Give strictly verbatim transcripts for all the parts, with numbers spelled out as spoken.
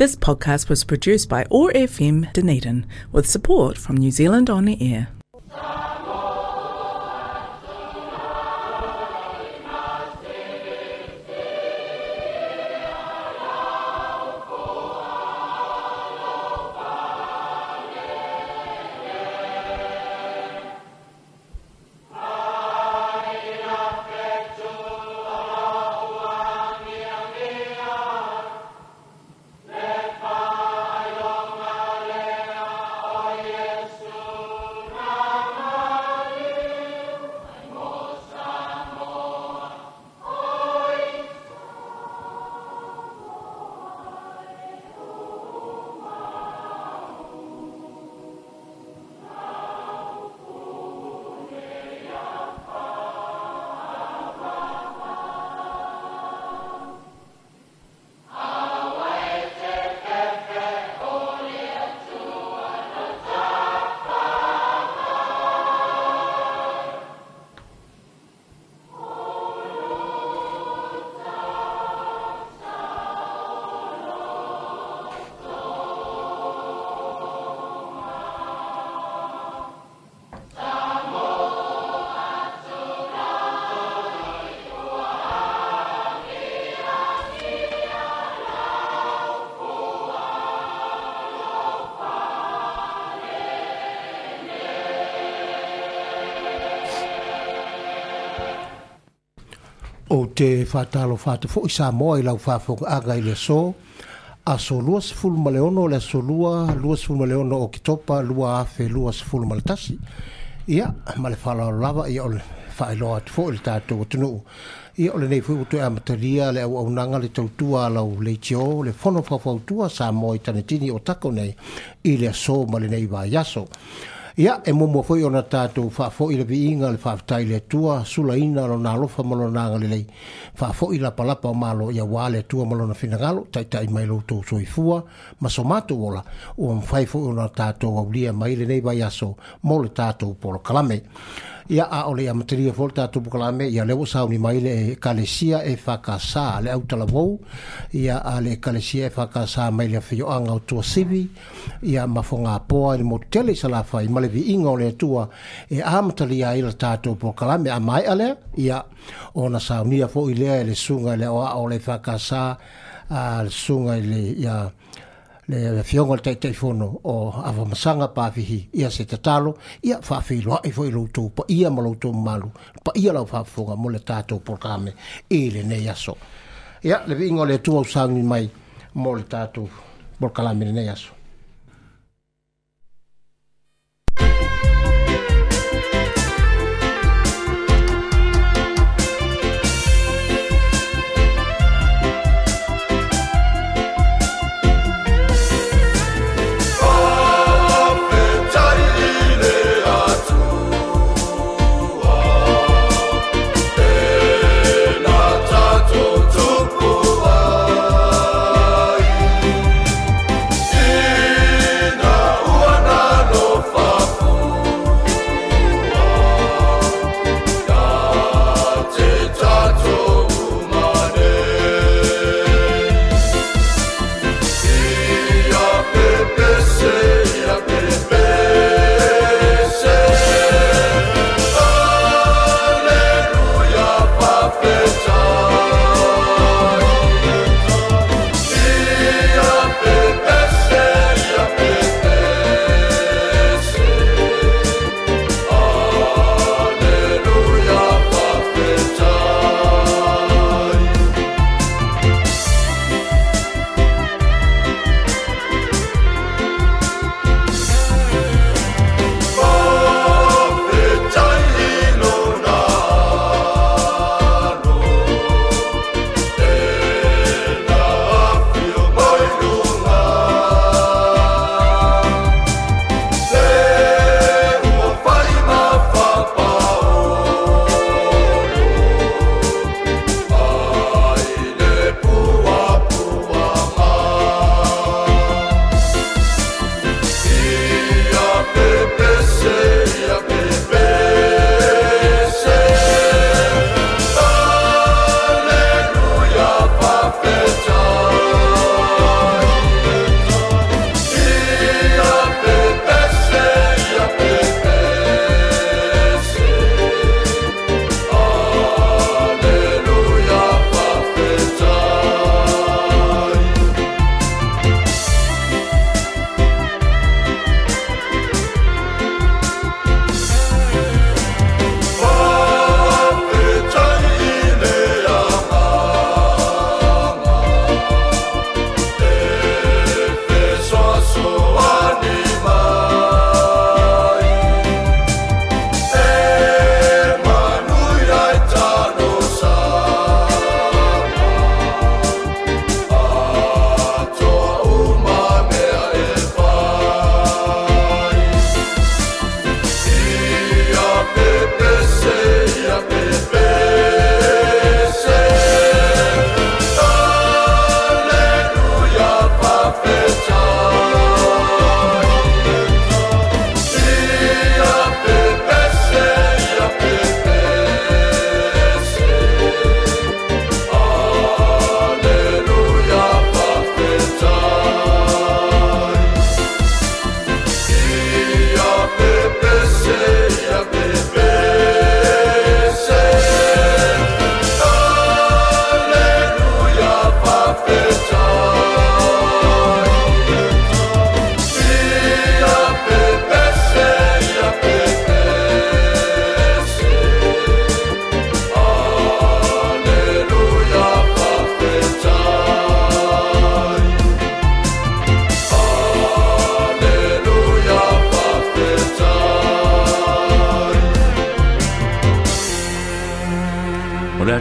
This podcast was produced by O R F M Dunedin with support from New Zealand On Air. O te whātalo whāte fo i Samoa i lau whāwhonga aga i le so aso lua sefulu ma le ono le aso lua lua sefulu ma le ono o Kitopa lua afe lua sefulu ma le tasi. Ia ma le whālalo lava ia o le whaeloa atu fo i le tātou atunuu. Ia o le nei fui utu e amataria le au aunanga le tautua lau leitio le fono whawhautua Samoa i tanetini o tako nei i le aso ma le nei vai aso. Ia, e momo foi ona tātou whaafoi le viinga le whaaftai le tua, sulaina lo nā lofa ma lo nā ngalelei. Whaafoi la palapa o malo ia wā le tua ma lona finagalo, taitai mai lo tō soifua, ma so mātou ola, ua mwhai foi ona tātou aulia mai le nei vai aso, mo le tātou polo kalame. Ia a ole ia materia fo le tātou pokalame, ia lewa sauni mai le ekalesia e whakasā, le autalavou, ia a le ekalesia e whakasā mai le whioanga o tua sivi, ia mafonga poa i le motele i salawhai, ma le viinga o le atua e amatalia ai le tātou pokalame, a mai alea, ia ona saunia fo i lea e le sunga le oa o le whakasā, a le sunga i le, ia, le fionga le taitaifono o Avamasanga Pafihi ia se tatalo ia whaawhiloa i fo i loutou pa ia ma loutou malu pa ia lau whaafonga mo le tātou polkame i le nei aso. Ia le viinga o le atua usauni mai mo le tātou polkalame le nei aso. Yeah.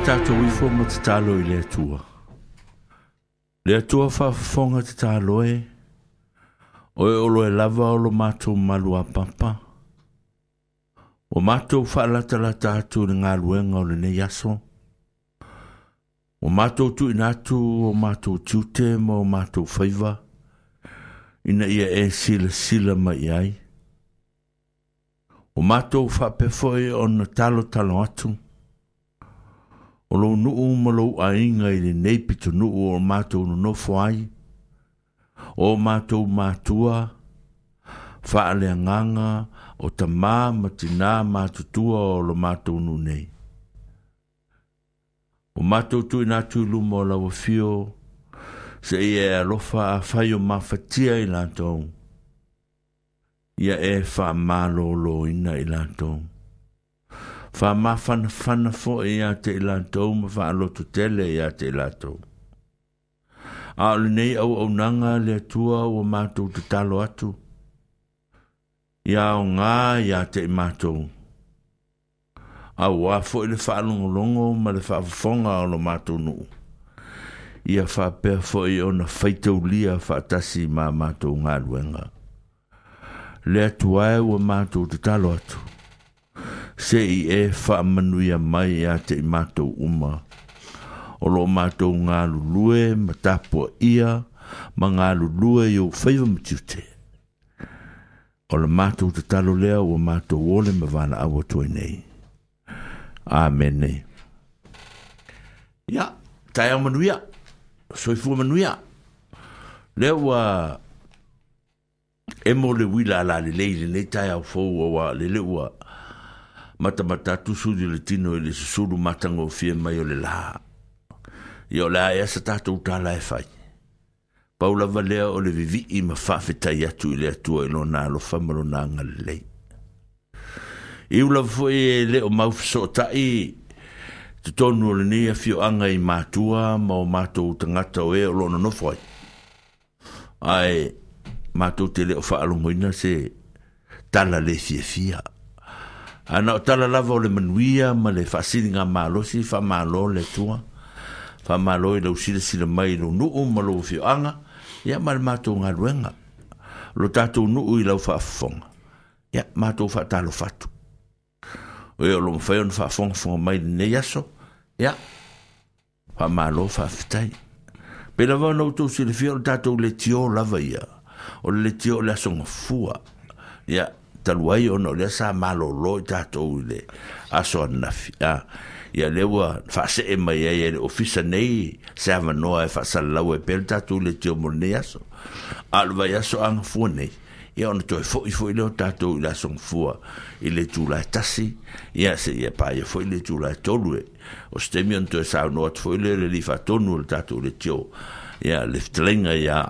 Le a tātou ifo ma te tālo i le Atua. Le Atua whaafafonga te tālo e, oe olo e lava o lo mātou malu a papa. O mātou whaalatalata atu le ngā luenga o le nei aso. O mātou tuina atu o mātou tiute ma o mātou whaiva, ina ia e sila sila mai ai. O mātou whaapefoi o na talo talo atu. O lou nuu ma lou ainga i le nei pito nuu o mātou nonofo ai. O mātou mātua, whaaleanganga o tamā matinā mātutua o lo mātou nu nei. O mātou tuina atu i luma o lau whio, se ia e alofa a whai o mawhatia i lātou. Ia e wha mālolo ina i lātou. Wha mawhanawhana fo i a te i lātou ma wha aloto tele i a te i lātou. A o le nei au au nanga le atua o mātou te talo atu. Ia o ngā i a te i mātou. A ua fo i le whaalongolongo ma le whaafafonga o lo mātou nuu. Ia whaapea fo i ona whaitaulia whaatasi mā mātou ngā luenga. Le atua e ua mātou te talo atu. Se i e whaamanuia mai a te i mātou uma. O lo mātou ngā lulue ma tāpua ia ma ngā lulue i o whaiva matiute. O le mātou te talo lea ua mātou ole ma vana awa toi nei. Amene. Ia, tae au manuia. Soifua manuia. Lea ua e mo le wila ala le lei le nei tae au fou awa le le ua matamata tusu di le tino i le susulu matango fie mai o le la. Ia o le a ea sa tātou tāla e whai. Paula valea o le vivi ma whawhetai atu i le atua i lona alofa ma lona ngalelei. I ula foi e le o mauwhasotai te tonu o le nei awhioanga i mātua ma o mātou tangata o e o lona nofo ai. Ai mātou te le o whaalongoina se tala le fiafia. Ana o tala lava o le manuia ma le whaasiri ngā malosi, whamalo le tua. Whamalo i lau sila sila mai lo nuu ma lo whioanga, ia ma le mātou ngā luenga. Lo tātou nuu i lau whaafafonga. Ia mātou whaatalo whatu. O eo lo mwhai ona whaafongafonga mai le nei aso, ia whamalo whaafetai. Pe lava ona utou silafia o le tātou le tio lava ia. O le tio o le aso ngafua. Ia talu ai ona o lea sa malolo i tātou i le aso anafi. Ah, ia le ua whaasee mai ai e le ofisa nei se awanoa e whaasalalau e pele tātou le tio mo le nei aso. A le vai aso angafua nei. Ia ona toe foi foi leo tātou i le aso ngafua i le tūla e tasi. Ia se ia pā ia foi le tūla e tolu e. O se temi ona toe saunoa atu foi leo le li whaatonu o le tātou le tio. Ia le fitalenga ia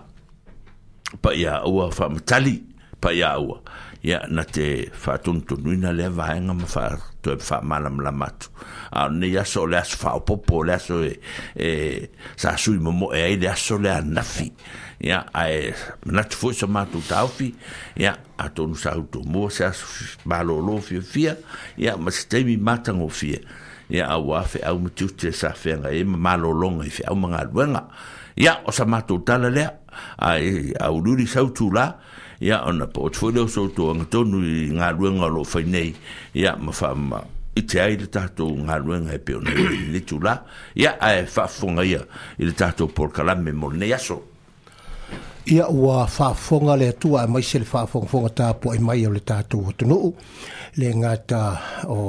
pa ia ua whaamatali pa ia ua. Ia na te whaatonutonuina lea vaenga ma wha toe whaamalamalama atu. A o nei aso o le aso whaopopo o le aso e, e sa sui momo e ai le aso le anafi. Ia ae manatu foi sa mātou tāufi. Ia a tonu sa uto mua se aso malolo fia fia. Ia ma se teimi mātango fia. Ia au a whe au matiute sa whenga e ma malolonga i whe au mga luenga. Ia o sa mātou tala lea. Ai au ruri sautu la. Ia ona po o te leo sautu anga tonu i ngā luenga o lo whai nei. Ia ma wha i te ai le tātou ngā luenga e peo nei i le tū la. Ia ae whaafonga ia i le tātou polokalame mo nei aso. Ia ua whaafonga le atua e mai se le whaafongafonga tāpua i mai o le tātou atunuu. Le ngata o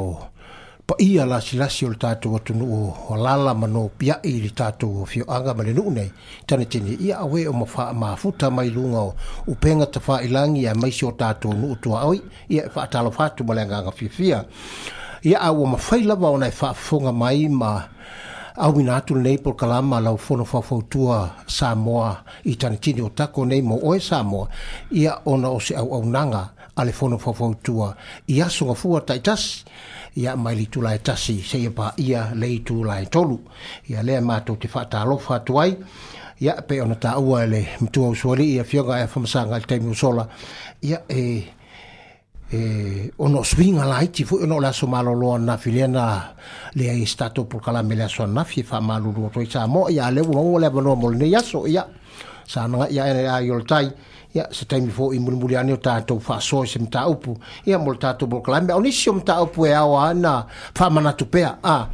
paia lasi lasi o le tātou atunuu o lala ma no piai i le tātou o whioanga ma le nuu nei. Tane tini ia awe o mawha mafuta mai lunga o upenga ta whailangi a maisi o tātou nuu tua oi. Ia e whaatalo whatu ma le nganga fiafia. Ia a ua mawhai lava o nei whaafonga mai ma au ina atu nei polokalama lau fono faufautua Samoa i tane tini o tako nei mo oe Samoa. Ia ona o se au aunanga a le fono faufautua i aso ngafua taitasi. Ia mai le itula e tasi se ia pa ia le itula e tolu. Ia lea mātou te whaatalofa atu ai. Ia pe ona tāua e le matua usuali ia fioga e whamasanga i le taimi o sola. Ia e e ono swinga laiti foi ono le aso malolo anafi lea na leai se tatou polokalame le aso anafi e faamalulu atu ai Samoa. Ia a lea ua maua le avanoa mo lenei aso, ia sa agaia ae le ai o le tai, ia se taimi foi mulimuli ane o tatou faasoa i se mataupu, ia mo le tatou polokalame. O nisi o mataupu e ao ana faamanatu pea, a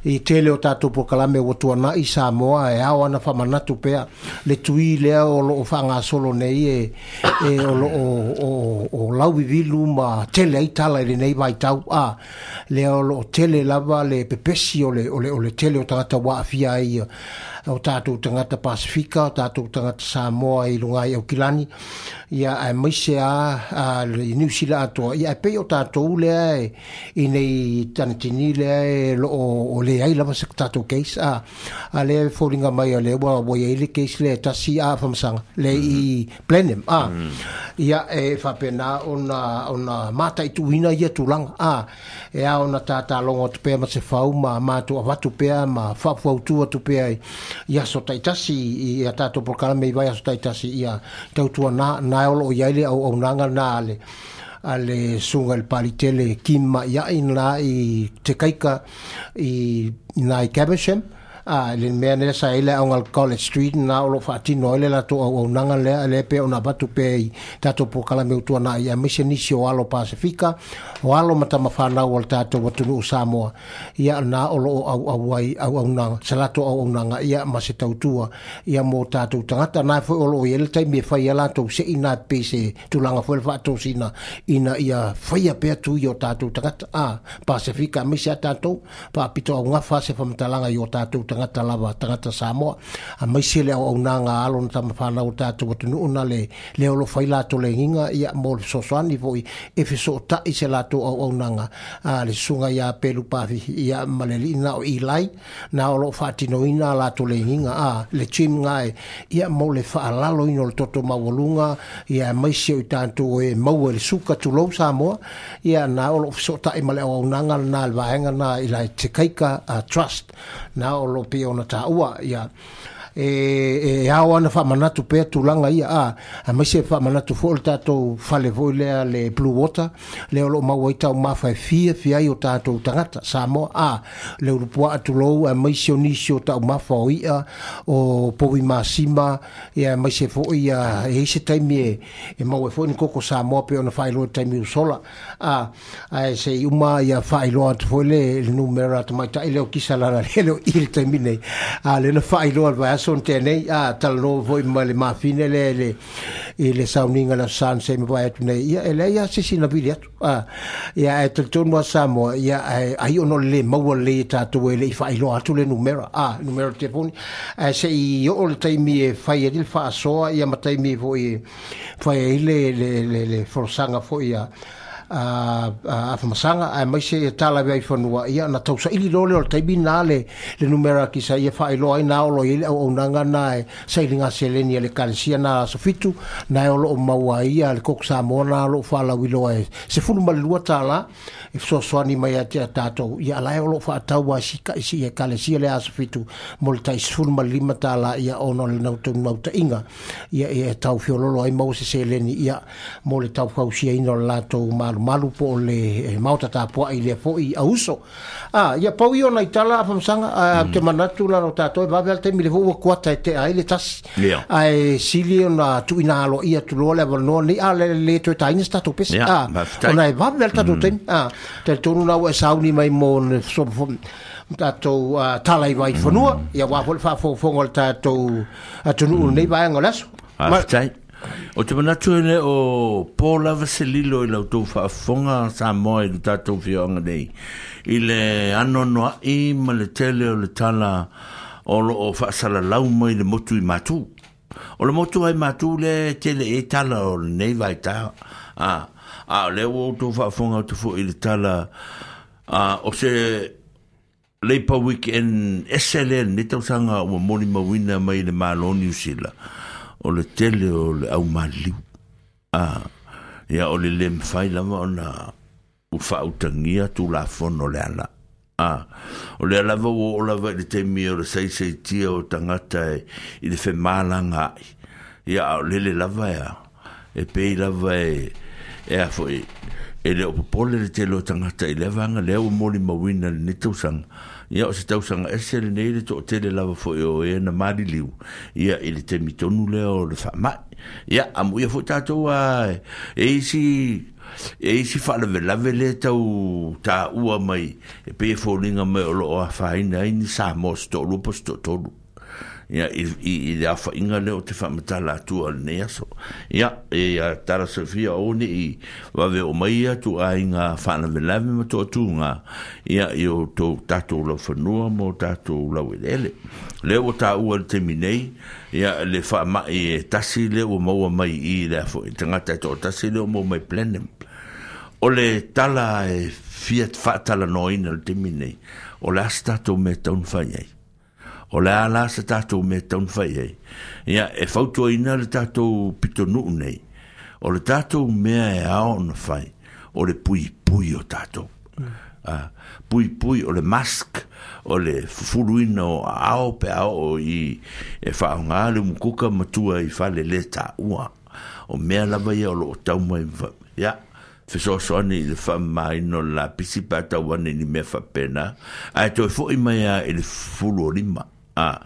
i tele o tatou polokalame ua tuanai Samoa e ao ana faamanatu pea le tui lea o loo faagasolo nei e, e o loo o, o lauvivilu ma tele ai tala i lenei vaitau, a lea o loo tele lava le pepesi o le, o le, o le tele o tagata ua aafia ai o tatou tagata Pasifika, o tatou tagata Samoa i luga i Aukilani, ia aemaise a i Niu Sila atoa, ia e pei o tatou lea e i nei tanatini lea e loo o leai lava se tatou case, a a lea e foliga mai o lea ua ua iai le case lea e tasi a faamasanga le i Blenheim, a ia e faapena ona ona mataituina ia tulaga, a e ao ona tatalogo atu pea ma se fau ma matou avatu pea ma faafuautu atu pea i aso taitasi i a tatou polokalame i vai aso taitasi, ia tautua na na o loo iai le auaunaga na a le a le susuga i le Palitele Kim Ma'ia'i na i Te Kaika i na i Caversham, a le mea lea sa i le aoga College Street na o loo faatino ai le latou auaunaga lea lea pei ona avatu pea i tatou polokalame ua tuanai, aemaise nisi o alo Pasifika o alo ma tamafanau o le tatou atunuu Samoa, ia na o loo auau ai auaunaga se latou auaunaga, ia ma se tautua ia mo tatou tagata na foi o loo i ai le taimi e fai ai latou se'i na pei se tulaga foi le faatosina ina ia faia pea tui o tatou tagata a Pasifika aemaise a tatou faapito augafa se faamatalaga i o tatou tagata lava tagata Samoa, aemaise le auaunaga a alo na tamafanau o tatou atunuu na le lea o loo fai latou legiga, ia mo le fesoasoani foi e fesootai se latou auaunaga a le susuga ia Pelu Pafifi, ia ma le alii na o Eli na o loo faatinoina a latou legiga, a le gym gae, ia mo le faalaloina o le toto maualuga, ia aemaise o i tatou e maua i le suka tulou Samoa, ia na o loo fesootai ma le auaunaga lena le vaega na i la Te Kaika uh, Trust na o loo pei ona taua, ia e e ao ana faamanatu pea tulaga ia, a aemaise faamanatu foi le tatou fale foi lea le Blue Water lea o loo maua ai taumafa e fiafia ai o tatou tagata Samoa, a le ulupuaa tulou aemaise o nisi o taumafa o i'a o povi masima, ia aemaise foi ia e i se taimi e, e maua ai foi ni koko Samoa pei ona faailoa i taimi ua sola, a ae sei uma ia faailoa atu foi le, le numera tamaitai lea o kisa lala lea o i le taimi nei, a lea na faailoa le vaiaso na tea nei, a talanoa foi ma le mafine lea le i le sauniga le aso sa se mavae atu nei, ia e leai lava se isi na vili atu, a ia ae talitonu a Samoa, ia ae ai ona o le lē maua lelei e tatou e le'i faailoa atu le numera, a numera o le telefoni, ae se'i oo le taimi e fai ai le faasoa, ia ma taimi foi e fai ai le le le, le folasaga foi a a afamasaga aemaise e tala ai fanua, ia na tausaili loa lea o le taimi na le le numera kisa ia faailoa ai na o loo i ai le auaunaga na e sailiga seleni a le ekalesia na aso fitu na e o loo maua ai ia le koko Samoa na o loo faalauiloa e sefulu ma le lua tālā e fesoasoani mai ia te tatou, ia ala e o loo faatau a sika'i si ekalesia le aso fitu mo le tai sefulu ma le lima tālā, ia ona o le naunautaiga ia ia e tau fiololo ai maua se seleni ia mo le taufausiaina o le latou malumalu po o le maota tapua'i lea foi auso. A ia pau ia ona i tala afamasaga a te manatu lana o tatou e vave a le taimi le foi ua kuata e tea ai le tasi, ae sili ona tuuina aloaia atu loa le avanoa nei a le le toe taina se tatou pese, a ona e vave a le tatou taimi, a talitonu la ua e sauni mai mo le tatou tala i vai fanua, ia aua foi le faafogafoga o le tatou atunuu lenei vaega o le aso. Faafetai. O te manatu e le o pō lava se lilo i lau tou faafofoga Samoa i le tatou fioaga nei i le anoanoa'i ma le tele o le tala o loo faasalalau mai le motu i Matu. O le motu ai Matu le tele e tala o lenei vaitā. A, a o lea ua outou faafofoga atu foi i le tala a, o se Labour Weekend ese lea lenei tausaga ua molimauina mai le Malo Niu Sila o le tele o le aumaliliu. A, ia o le le mafai lava ona ua faautagia tulafono le ala. A, o lea lava ua oo lava i le taimi o le saisaitia o tagata e, i le femalagaai. Ia a o lele lava ea, e pei lava e, e a foi, E le o popole le tele o tagata i lea vaega lea ua molimauina lenei tausaga. Ia o se tausaga ese lenei le toatele lava foi o e na maliliu ia i le taimi tonu lea o le faamai. Ia amuia foi tatou a e isi e isi faalavelave lea tau taua mai e pei e foliga mai o loo afaina ai ni Samoa se toalua po o se toatolu. Ia i i i le aofa'iga lea o te faamatala atua o lenei aso. Ia e ia tala sofia o ni'i vave o mai ia tu'aiga faalavelave ma to'atuga ia i o tou tatou laufanua ma o tatou laueleele. Lea ua tāua i le taimi nei ia le faama'i e tasi lea ua maua mai i le afo'i tagata e to'atasi lea ua maua mai Blenheim. O le tala e fia faatalanoaina i le taimi nei, o le a se tatou mea e tatau ona fai ai? O le a la se tatou mea e tatau ona fai ai? Ia, e fautuaina le tatou pitonuu nei, o le tatou mea e ao ona fai, o le puipui o tatou. Ah, puipui o le mask, o le fufuluina o aao pe a oo i e faaaoga le umukuka ma tua i fale le taua. O mea lava ia o loo tau mai ia fesoasoani i le faamamaina o le lapisi pe a tau ane i ni mea faapena, ae toe fo'i mai lava i le fufulu o lima. A,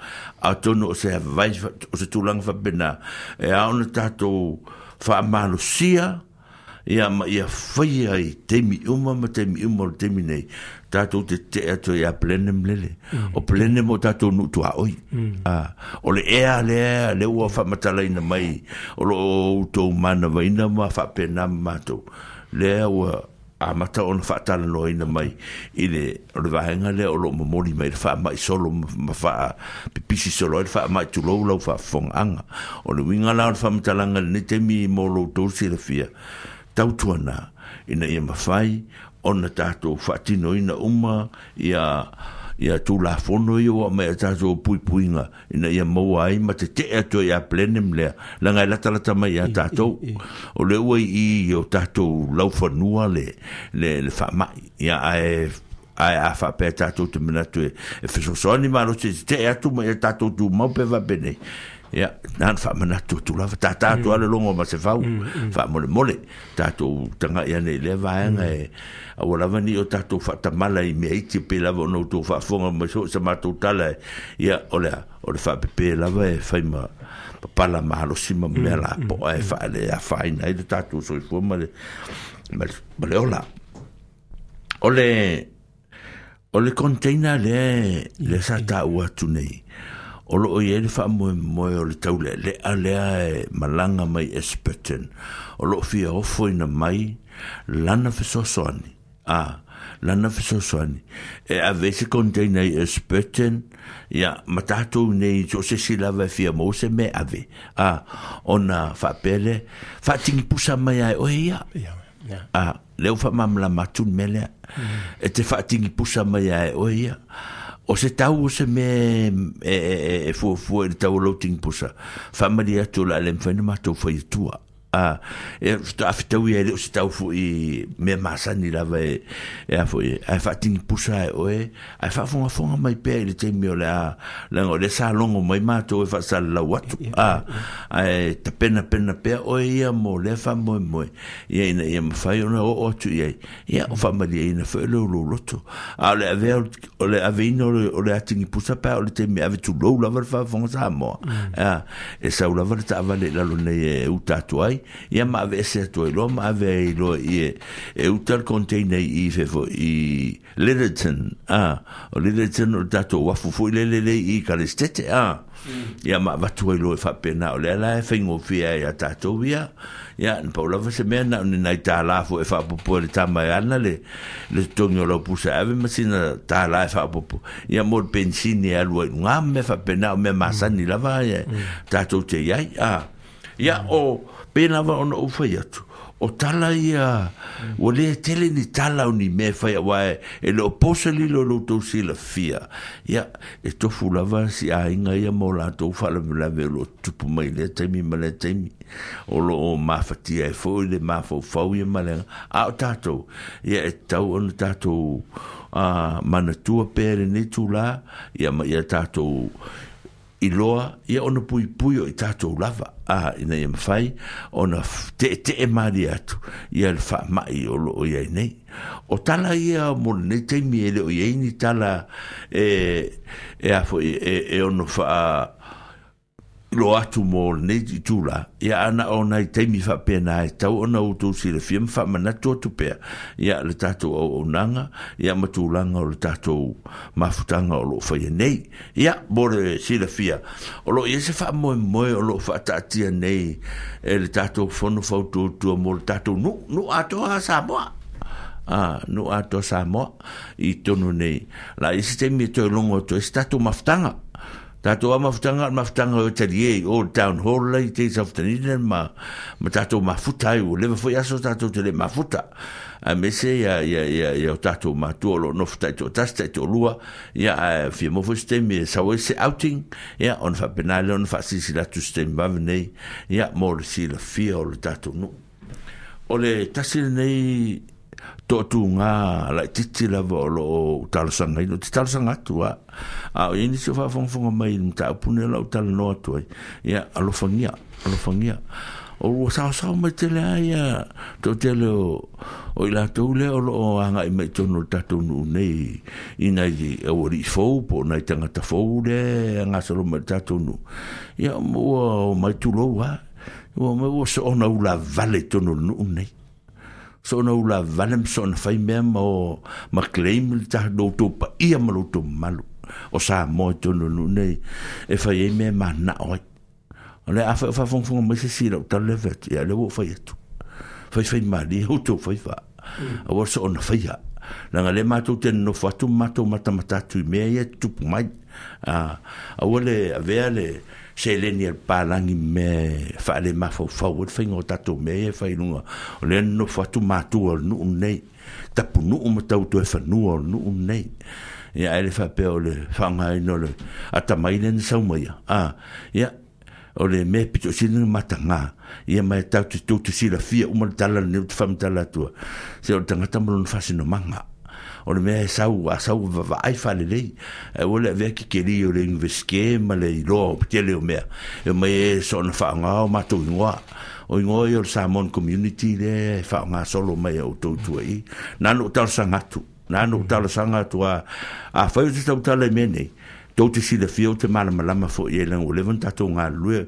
atonu o se vai o se tulaga faapena e ao ona tatou faamalosia ia ma ia faia i taimi uma ma taimi uma o le taimi nei tatou te te'e atu ai ia Blenheim lele. O Blenheim o tatou nuu tuaoi. A, o le ea lea lea ua faamatalaina mai o loo outou manavaina ma faapena ma matou lea ua amata ona faatalanoaina mai i le o le vaega lea o loo momoli mai le faama'i solo ma faapipisi solo ai le faama'i tulou lau faafofogaaga. O le uiga la o le faamatalaga i lenei taimi mo lo outou silafia, tautuana ina ia mafai ona tatou faatinoina uma ia ia tulafono ia ua aumai i a tatou puipuiga ina ia maua ai ma tete'e atu ai ia Blenheim lea leaga e latalata mai ia tatou. O lea ua i i o tatou laufanua le le le faama'i ia ae ae a faapea tatou te manatu e e fesoasoani malosi e tete'e atu ma ia tatou tumau pe faapenei. Ia na ona faamanatu atu lava tātā atu lava le logo ma se fau faamolemole tatou taga'i ane i lea vaega e aua lava ni'i o tatou faatamala i mea iti pei lava ona outou faafofoga mai so o se matou tala e ia o le a o le faapepē lava e fai ma papala malosi ma mea lapo'a e faaleafaina ai le tatou soifua ma le ma le ma le ola. O le o le container lea lea sa taua atu nei, o loo i ai le faamoemoe o le taulealea lea e malaga mai Esperton, o loo fia ofoina mai lana fesoasoani, a lana fesoasoani e ave ai se container i Esperton ia ma tatou nei so o se isi lava e fia maua se mea e ave, a ona faapea lea faatigipusa mai lava e oe ia. A lea ua faamalamalama atu le mea lea, e te faatigipusa mai lava e oe ia. O se tau o se mea e, e, e fuafua i le tau o lau tigipusa, faamalie atu o le a le mafai ona matou fai atua. A, e faatoa ia e le o se tau fo'i mea masani lava e, e a foi, ae faatigipusa e oe, ae faafogafoga mai pea i le taimi o le a, leaga o lea sa logo mai matou e faasalalau atu, a, ae tapenapena pea oe ia mo lea faamoemoe, ia ina ia mafai ona oo atu i ai, ia o faamalieina foi o le lou loto. A o le avea o le aveina o le, o le atigipusa pe a o le taimi e ave tulou lava le faafofoga Samoa, a, e sau lava le taavale i lalo nei e uta atu ai, ia ma aveese atu ai loa ma ave ai loa i e, e uta le container i fefo i Lyttelton, a, o Lyttelton o le tatou uafu foi lele le i Kalestete, a, ia ma avatu ai loa e faapena o lea la e faigofie ai ia tatou ia, ia na pau lava se mea na o ni nai tālā foi e faapopo e le tama e ana le le totogi o lau pusa e ave ma sina tālā e faapopo ia mo le pensini e alu ai i luga ma mea faapena o mea masani lava ia tatou te i ai, a, ia o pei lava ona ou fai atu, o tala ia, ua le tele ni tala o ni mea e fai aua e, e le o po se lilo o lo outou silafia. Ia, e tofu lava si aiga ia ma o latou faalavelave o lo o tutupu mai i lea taimi ma lea taimi. O lo o mafatia ai foi le mafaufau ia ma le aga. A o tatou, ia e tatau ona tatou uh, manatua pea i lenei itulā, ia ma ia tatou iloa ia ona puipui o i tatou lava a ina ia mafai ona te'ete'e malie atu ia le fa'ama'i o lo'o iai nei. O tala ia mo lenei taimi e le o iai ni tala e e a fo'i e, e ono fa'a lo atu mo lenei itula ia ana o nai taimi faapena e tau ona outou silafia ma faamanatu atu pea ia le tatou auaunaga ia ma tulaga o le tatou mafutaga o loo faia nei. Ia mo le silafia o loo i ai se faamoemoe o loo faataatia nei e le tatou fono fautuatua mo le tatou nuu nuu atoa a Samoa. Ah, nuu atoa Samoa i tonu nei la i se taimi e toe logo atu ai se tatou mafutaga. Tatou a mafutaga o le mafutaga o talie i Old Town Hall lai te South Dunedin ma ma tatou mafuta ai ua leva foi aso tatou te le mafuta. A mese ia ia ia ia o tatou matua o loo nofo taitoatasi taitoalua ia ae fia maua foi se taimi e sau ai se outing ia ona faapena lea ona faasilasila atu se taimi vave nei ia mo le silafia o le tatou nuu. O le tasi lenei toatuga laititi lava o loo talosagaina, ou te talosaga atu a a o iai nisi o faafogafoga mai i le mataupu lenei o lau talanoa atu ai ia alofagia alofagia o ua saosao mai tele a ia toatele o o i latou lea o loo agai mai i totonu o le tatou nuu nei i nai aualii fou po o nai tagata fou lea e gasolo mai i le tatou nuu ia ua omai tulou a ua omai ua soona ulavale i totonu o le nuu nei. Soona ulavale ma soona fai mea ma o ma claim le ta lo outou paia ma lo outou mamalu o Samoa i totonu o le nuu nei e fai ai mea e manao ai. O le a fai o faafogafoga mai se isi i lau tala lea fai atu ia lea ua ou fai atu. Faifai malie outou faiva aua le soona faia. Leaga lea matou te nonofo atu ma matou matamata atu i mea ia e tutupu mai. Ah, aua le avea le seleni a le palagi ma mea e faalemafaufau ai le faiga o tatou mea ia e fai i luga. O lea nonofo atu matua o le nuu lenei, tapunuu ma tau toe fanua o le nuu lenei. Ia ae le faapea o le faaaogaina o le atamai lea na sau mai ia. Ah, ia o le mea pito sili ona mataga ia ma e tatou te tou te silafia uma le tala lenei ou te faamatala atua se o le tagata ma lona faasinomaga. O le mea e sau a sau vaavaai faalelei ae ua le avea kekeli o le universite ma le iloa o tele o mea e omai e soona faaaoga o matou igoa. O igoa ia o le Samoan Community lea e faaaoga solo mai e outou tua i. Na ona ou talosaga atu, na ona ou talosaga atu a afai ou te tautala i mea nei tou te silafia ou te malamalama foi i ai leaga ua leva ona tatou galulue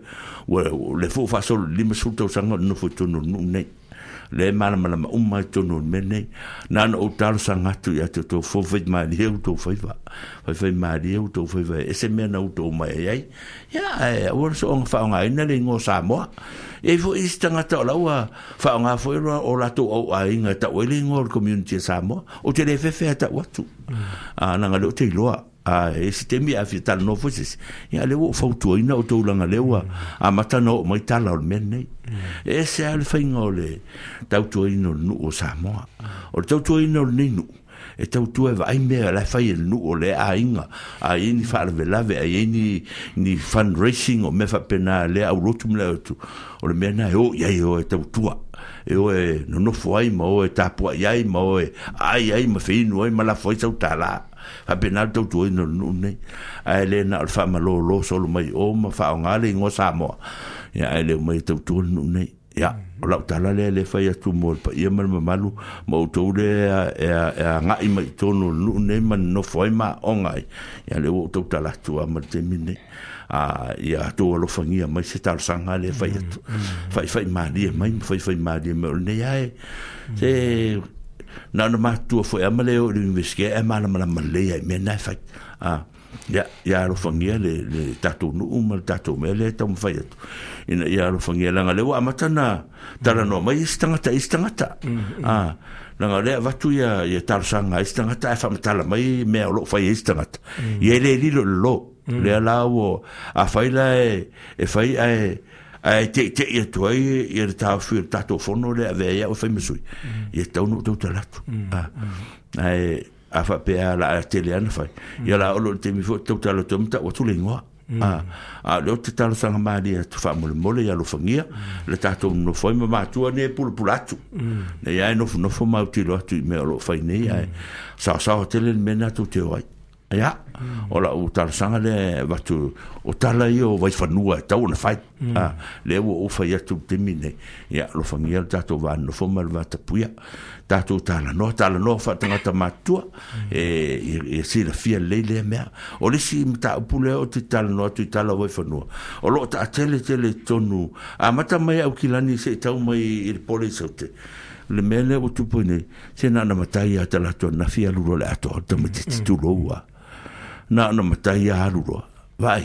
ua le foi ua faasolo i le limasefulu tausaga o le nofo i totonu o le nuu nei. Lea e malamalama uma ai totonu o le mea nei. Na ona ou talosaga atu ia te outou fofaimalie outou faiva. Faifaimalie outou faiva e ese mea na outou omai ai ai. Ia ae aua le soona faaaogaina le igoa o Samoa. E i ai foi isi tagata o la ua faaaoga foi o latou auaiga e tau ai le igoa o le community a Samoa. Ou te le fefe a tau atu. A leaga lea ou te iloa. A e se taimi a fia talanoa foi se isi ia lea ua ou fautuaina outou leaga lea ua amata ona oo mai tala o le mea lenei. E ese lava le faiga o le tautuaina o le nuu o Samoa. O le tautuaina o lenei nuu e tautua e vaai mea la e fai e le nuu o le aiga. A i ai ni faalavelave, a i ai ni, ni fundraising o mea faapena lea aulotu ma le autu, o le mea lena e o i ai e o e tautua. E o e nonofo ai ma o e tapuai ai ma o e aai ai ma feinu ai ma lafo ai sau tālā. Faapena le tautuaina o le nuu lenei. Ae le na o le faamalōlō solo mai o ma faaaoga le igoa Samoa. Ia ae le omai e tautua le nuu lenei. Ia, o lau tala lea le fai atu mo le paia ma le mamalu ma outou lea e agai mai i totonu o le nuu lenei ma nonofo ai ma aoga ai. Ia lea ua ou tautala atu lava ma le taimi lenei. A ia outou alofagia mai se talosaga lea fai atu. Faifai malie mai ma faifai malie mai o lenei lava e se na ona matutua foi lava ma le oo i le universite ae malamalama lelei lava i mea na e fai. A ia, ia alofagia le, le tatou nuu ma le tatou mea lea e taumafai atu ina ia alofagia leaga lea ua amata ona talanoa mai isi tagata i isi tagata. A leaga o lea e avatu ia, ia talosaga a isi tagata ae faamatala mai mea o loo fai e isi tagata. Ia e le lilo i lalo. Lea la ua afai la e, e fai ae ae teitei atu ai ia le taofi o le tatou fono lea e avea ai au e fai ma sui. Ia tatau ona ou tautala atu. A, ae a faapea o le a tele lava ona fai. Ia la oo loa i le taimi foi ou te tautala atu ai ma tau atu le igoa. A, a o lea ou te talosaga malie atu faamolemole ia alofagia le tatou nonofo ai ma matua nei e pulapula atu. Nei lava e nofonofo ma autilo atu i mea o loo fai nei ae saosaoa tele le mea lena tou te o ai. Ia, o lau talosaga lea e avatu o tala ia o Vaifanua e tau ona fai. Ah, lea ua ou fai atu i le taimi lenei. Ia, alofagia le tatou vanonofo ma le vatapuia. Tatou talanoa, talanoa faatagata matutua, e ia silafia lelei lea mea. O le isi mataupu lea ou te talanoa atu i tala o Vaifanua, o loo taatele tele i totonu, amata mai Aukilani se'i tau mai i le pole i Saute. Le mea lea ua tupu ai nei, se na ona matai lava talaatu ananafi alu loa i le atoa o le tamaitiiti tulou lava. Na ona matai lava alu loa. Vaai,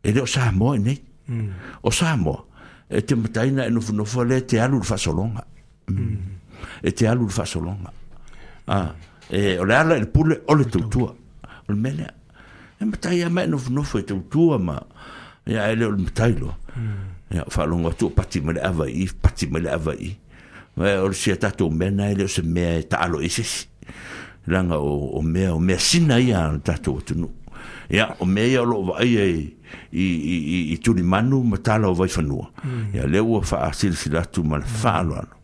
e le o Samoa i nei. O Samoa, e te matai na e nofonofo lea e te alu i le faasologa. E te alu i le faasologa. Ah, e, o le ala i le pule o le tautua. O le mea lea. E matai lava ma e nofonofo e tautua ma, ia, e le o le matai loa. Ia, faalogo atu o pati mai le ava i i, pati mai le ava i i. O le sia tatou mea na e le o se mea e taalo i se isi. Leaga o, o mea, o mea sina ia a le tatou atunuu. Ia, o mea ia o loo vaaia i, i, i, i, i tulimanu ma tala o Vaifanua. Ia, lea ua faasilasila atu ma le faaaloalo.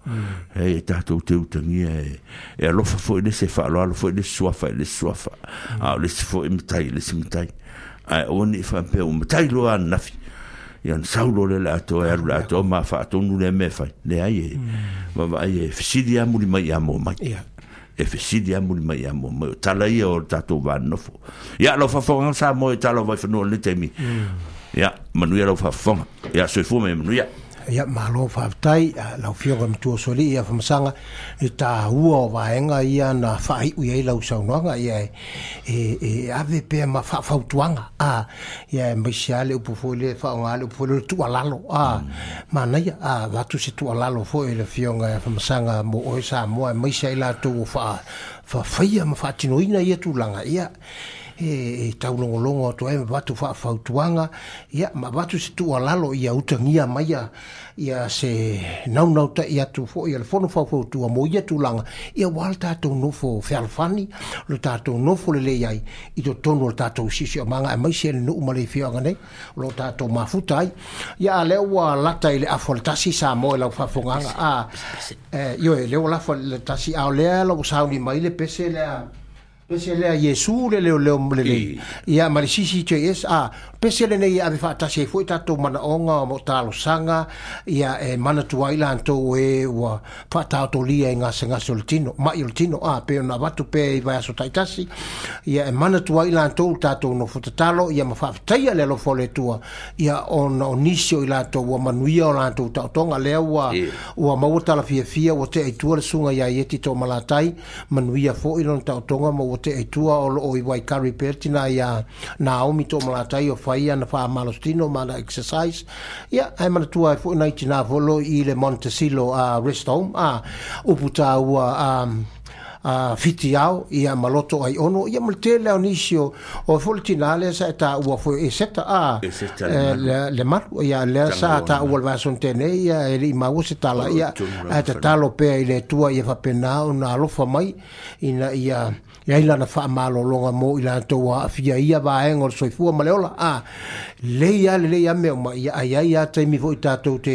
E, e tatou te utagia e, e alofa foi le isi, e faaaloalo foi le isi suafa i le isi suafa. A o le isi foi matai i le isi matai. Ae aua ne i faapea ua matai loa ananafi. Ia ona sau loa lea i le atoa e alu i le atoa ma faatonu lea mea e fai. Leai e vaavaai e fesili lava muli mai ia mua mai. E fesili lava muli mai ia mua mai. O tala ia o le tatou vanonofo. Ia, lau faafofoga Samoa i tala o Vaifanua i lenei taimi. Ia, manuia lau faafofoga. Ia, soifua ma ia manuia. Ia, malo faafetai lau Afioga i le Matua Sualii ia Famasaga i le taua o vaega ia na faaiu i ai lau saunoaga. Ia e, e, e ave pea ma faafautuaga, a, ia aemaise lava le upu foi lea e faaaoga le upu foi lea o le tuualalo, a, manaia, a, avatu se tuualalo foi i le Afioga ia Famasaga mo oe Samoa, aemaise ai latou ua faa, faafaia ma faatinoina ia tulaga. Ia, e, e taulogologo atu ai ma avatu faafautuaga, ia, ma avatu se tuualalo ia utagia mai ia, ia se naunautai atu foi a le Fono Faufautua mo ia tulaga, ia aua le tatou nofo fealofani, lo tatou nofo lelei ai i totonu o le tatou siosiomaga, aemaise le nuu ma le afioaga nei o lo tatou mafuta ai. Ia, a lea ua lata i le afa o le tasi Samoa i lau faafofogaaga. A, e, ioe, lea ua lafa i le tasi, a o lea la ua sauni mai le pese lea, pese lea Iesu le leoleo lelei. Ia, ma le C C J S, a, pese lenei e ave faatasi ai foi tatou manaoga o talosaga, ia e manatua ai latou e ua faataotolia i gasegase o le tino, mai o le tino, a, pe ona avatu pea i vaiaso taitasi, ia e manatua ai latou tatou nofo tatalo, ia ma faafetaia le alofa o le Atua, ia ona o nisi o i latou ua manuia o latou taotoga, lea ua, ua maua talafiafia, ua tea i tua le susuga ia Ieti Toomalatai, manuia foi lona taotoga ma ua tea i tua o loo i Waikari pea le tina ia Naomi Toomalatai o fai ana faamalositino ma ana exercise. Ia, ae manatua ai foi nai tina foi lo i le Montecillo uh, Rest Home, a upu tāua um, uh, whiti ao, ia ma loto ai ono, ia ma le tele o nisi o, o foi le tina lea sa e tāua foi e seta, a, E seta le malu. le, le malu, ia lea sa tāua le vaeaso tēnei, ia e le i maua se tala, ia, ae tatalo pea i le Atua ia faapena ona alofa mai, ina ia ia ai lana faamalologa mo i latou ua aafia i ia vaega o le soifua ma le ola. A, lelei lava lelei lava mea uma, ia ai ai lava taimi foi tatou te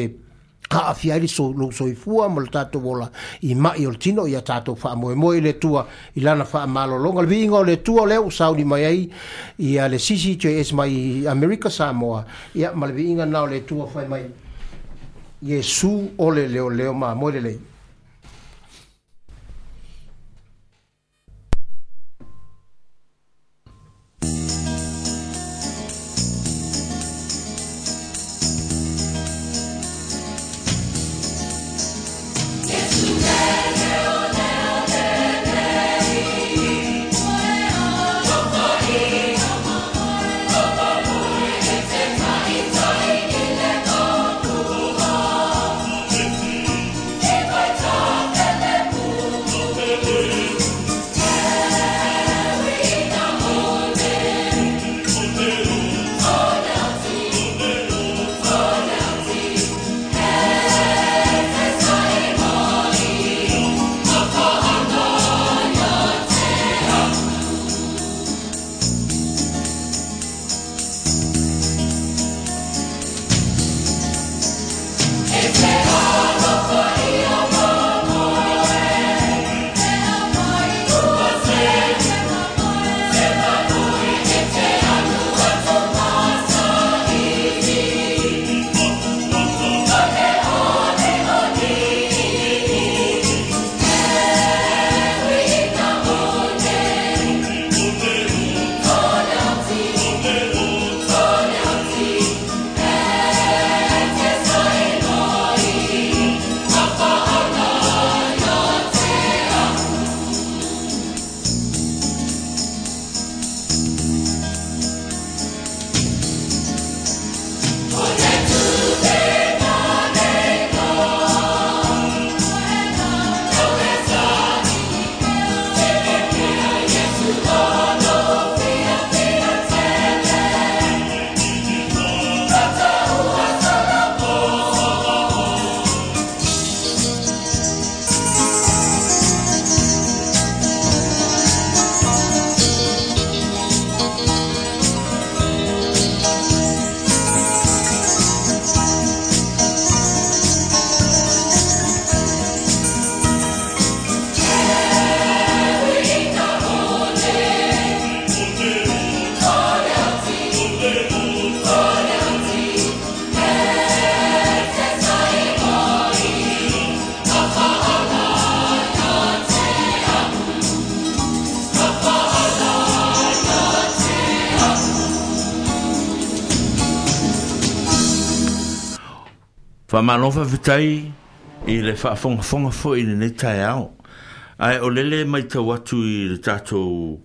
aafia ai le so, lou soifua ma le tatou ola i mai o le tino, ia tatou faamoemoe i le Atua i lana faamalologa. Le viiga o le Atua lea ua sauni mai ai ia le C C J S mai Amerika Samoa, ia ma le viiga na o le Atua fai mai Iesu o le leoleo mamoe lelei. Thank you. Faamalo faafetai i le faafogafoga foi i lenei taeao. Ae o lele matau atu i le tatou